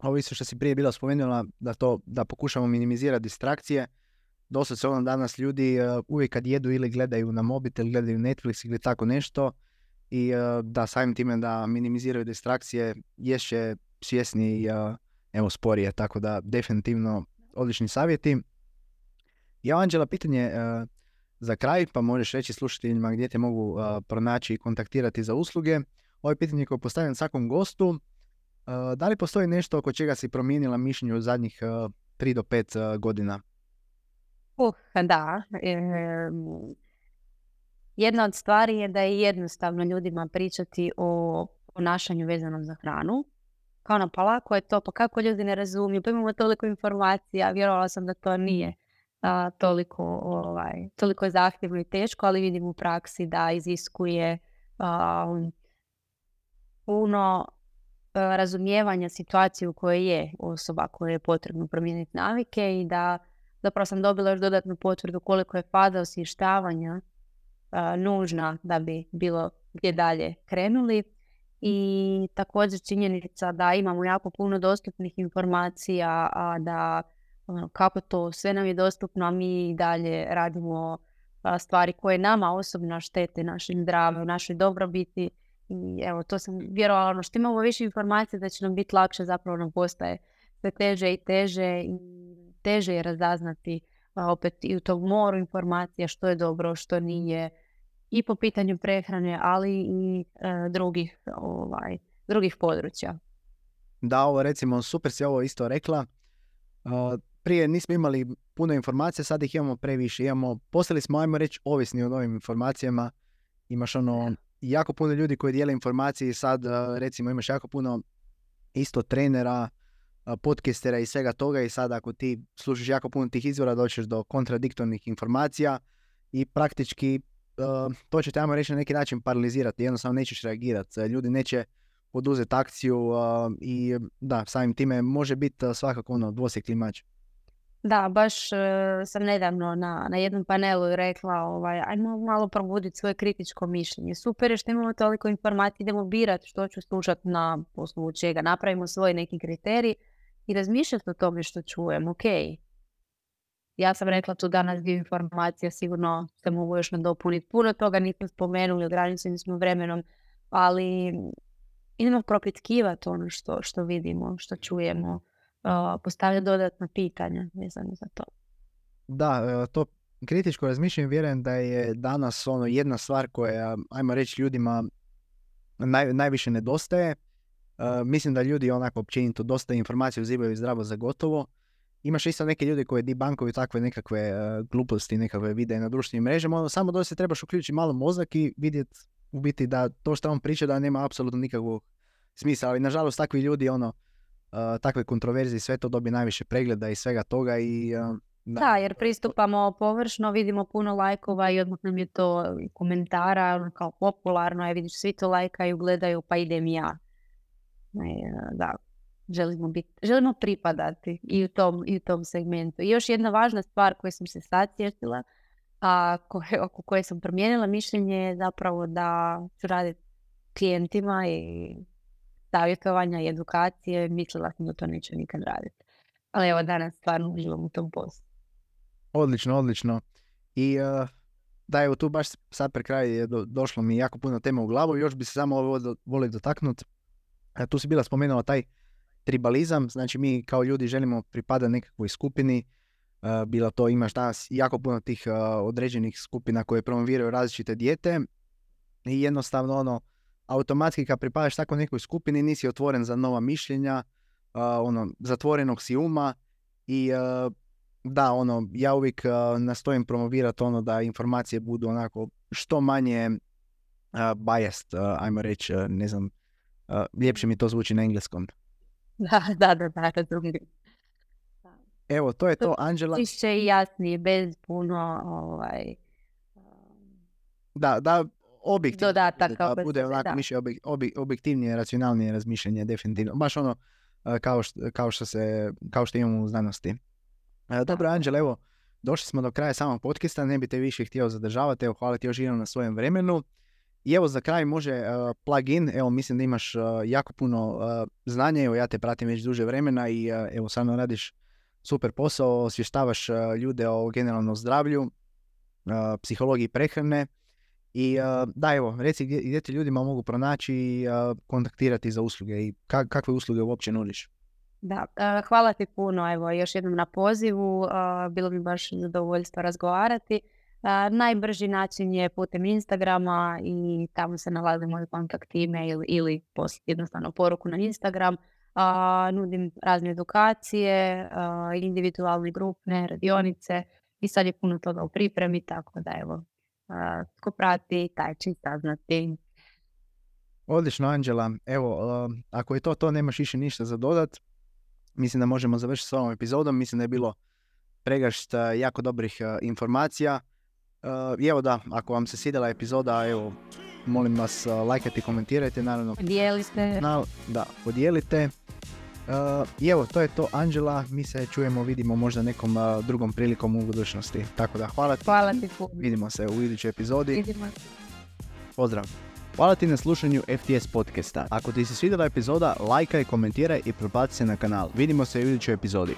ovo isto što si prije bila spomenula, da pokušamo minimizirati distrakcije. Dosta se danas ljudi uvijek kad jedu ili gledaju na mobitel, gledaju Netflix ili tako nešto i da samim time da minimiziraju distrakcije ješće svjesni i sporije, tako da definitivno odlični savjeti. Ja, Anđela, pitanje za kraj, pa možeš reći slušateljima gdje te mogu pronaći i kontaktirati za usluge. Ovo je pitanje koje postavljam svakom gostu. Da li postoji nešto oko čega si promijenila mišljenje u zadnjih 3 do 5 godina? Da. Jedna od stvari je da je jednostavno ljudima pričati o ponašanju vezanom za hranu. Kao na palako je to, pa kako ljudi ne razumiju, pa imamo toliko informacija, vjerovala sam da to nije toliko zahtjevno i teško, ali vidim u praksi da iziskuje puno razumijevanja situacije u kojoj je osoba koja je potrebno promijeniti navike i da zapravo sam dobila još dodatnu potvrdu koliko je faza osvještavanja nužna da bi bilo gdje dalje krenuli. I također činjenica da imamo jako puno dostupnih informacija, a da kako to sve nam je dostupno, a mi dalje radimo stvari koje nama osobno štete našem zdravlju, našoj dobrobiti. I evo, to sam vjerovala, što imamo više informacija da će nam biti lakše, zapravo nam postaje sve teže i teže i teže je razaznati opet i u tom moru informacija što je dobro, što nije, i po pitanju prehrane, ali i drugih područja. Da, ovo recimo, super si ovo isto rekla. Prije nismo imali puno informacija, sad ih imamo previše. Postali smo, ajmo reći, ovisni o novim informacijama. Imaš jako puno ljudi koji dijele informacije i sad recimo imaš jako puno isto trenera, podcastera i svega toga i sad ako ti slušaš jako puno tih izvora doćeš do kontradiktornih informacija i praktički to će te, ajmo reći, na neki način paralizirati, jednostavno nećeš reagirati. Ljudi neće poduzeti akciju i da, samim time može biti svakako dvosjekli mač. Da, baš sam nedavno na jednom panelu rekla, ajmo malo probuditi svoje kritičko mišljenje. Super je što imamo toliko informacija, idemo birati što ću slušati na osnovu čega. Napravimo svoj neki kriterij i razmišljati o tome što čujem. Ok, ja sam rekla tu danas dio informacija, sigurno se mogu još nadopuniti. Puno toga nismo spomenuli, ograničeni smo vremenom, ali idemo propitkivati ono što vidimo, što čujemo. Postavlja dodatna pitanja vezano za to. Da, to kritičko razmišljanje vjerujem da je danas jedna stvar koja, ajmo reći, ljudima najviše nedostaje. Mislim da ljudi onako općenito dosta informacija uzimaju zdravo za gotovo. Imaš isto neke ljudi koji debankuju takve nekakve gluposti, nekakve videe na društvenim mrežama. Samo dosta se trebaš uključiti malo mozak i vidjeti u biti da to što on priča da nema apsolutno nikakvog smisla. Ali nažalost takvi ljudi takve kontroverzije, sve to dobije najviše pregleda i svega toga i... Da, jer pristupamo površno, vidimo puno lajkova i odmah nam je to komentara, kao popularno, vidiš, svi to lajkaju, gledaju, pa idem ja. Da, želimo pripadati i u tom segmentu. I još jedna važna stvar koju sam se sad sjetila, oko koje sam promijenila mišljenje je zapravo da ću raditi klijentima i savjetovanja i edukacije. Mislila sam da to neću nikad raditi. Ali evo, danas stvarno uživam u tom poslu. Odlično. I da, evo tu baš sad pre kraj je došlo mi jako puno tema u glavu. Još bi se samo volio dotaknuti. Tu si bila spomenula taj tribalizam. Znači mi kao ljudi želimo pripadati nekakvoj skupini. Bilo to, imaš danas jako puno tih određenih skupina koje promoviraju različite dijete. I jednostavno automatski kad pripadaš tako nekoj skupini nisi otvoren za nova mišljenja, zatvorenog si uma i da, ja uvijek nastojim promovirati da informacije budu onako što manje biased, ajmo reći, ne znam, ljepše mi to zvuči na engleskom. Da, razumijem. Evo, to je to, Anđela. Čišće i jasnije, bez puno Da, objektivno. Dodataka. Da bude onako objektivnije, racionalnije razmišljanje, definitivno. Baš kao što imamo u znanosti. Dobro, Anđela, evo, došli smo do kraja samog podcasta, ne bi te više htio zadržavati, evo, hvala ti još jednom na svojem vremenu. I evo, za kraj može plug-in, evo, mislim da imaš jako puno znanja, evo, ja te pratim već duže vremena i evo, stvarno radiš super posao, osvještavaš ljude o generalnom zdravlju, psihologiji prehrane. I da, evo, reci gdje ti ljudima mogu pronaći i kontaktirati za usluge i kakve usluge uopće nudiš. Da, hvala ti puno, evo, još jednom na pozivu, bilo bi baš zadovoljstvo razgovarati. Najbrži način je putem Instagrama i tamo se nalazi moj kontakt, email ili jednostavno poruku na Instagram. Nudim razne edukacije, individualne, grupne, radionice i sad je puno toga u pripremi, tako da evo, tko prati, taj će saznati. Odlično, Anđela. Evo, ako je to, nemaš više ništa za dodat. Mislim da možemo završiti s ovom epizodom. Mislim da je bilo pregršt jako dobrih informacija. I evo da, ako vam se svidjela epizoda, evo, molim vas, lajkajte, komentirajte, naravno. Podijelite. Da, podijelite. I evo, to je to, Anđela. Mi se čujemo, vidimo možda nekom drugom prilikom u budućnosti. Tako da, hvala ti. Hvala ti puno. Vidimo se u idućoj epizodi. Vidimo se. Pozdrav. Hvala ti na slušanju FTS podcasta. Ako ti se svidjela epizoda, lajkaj, komentiraj i prebaci se na kanal. Vidimo se u idućoj epizodi.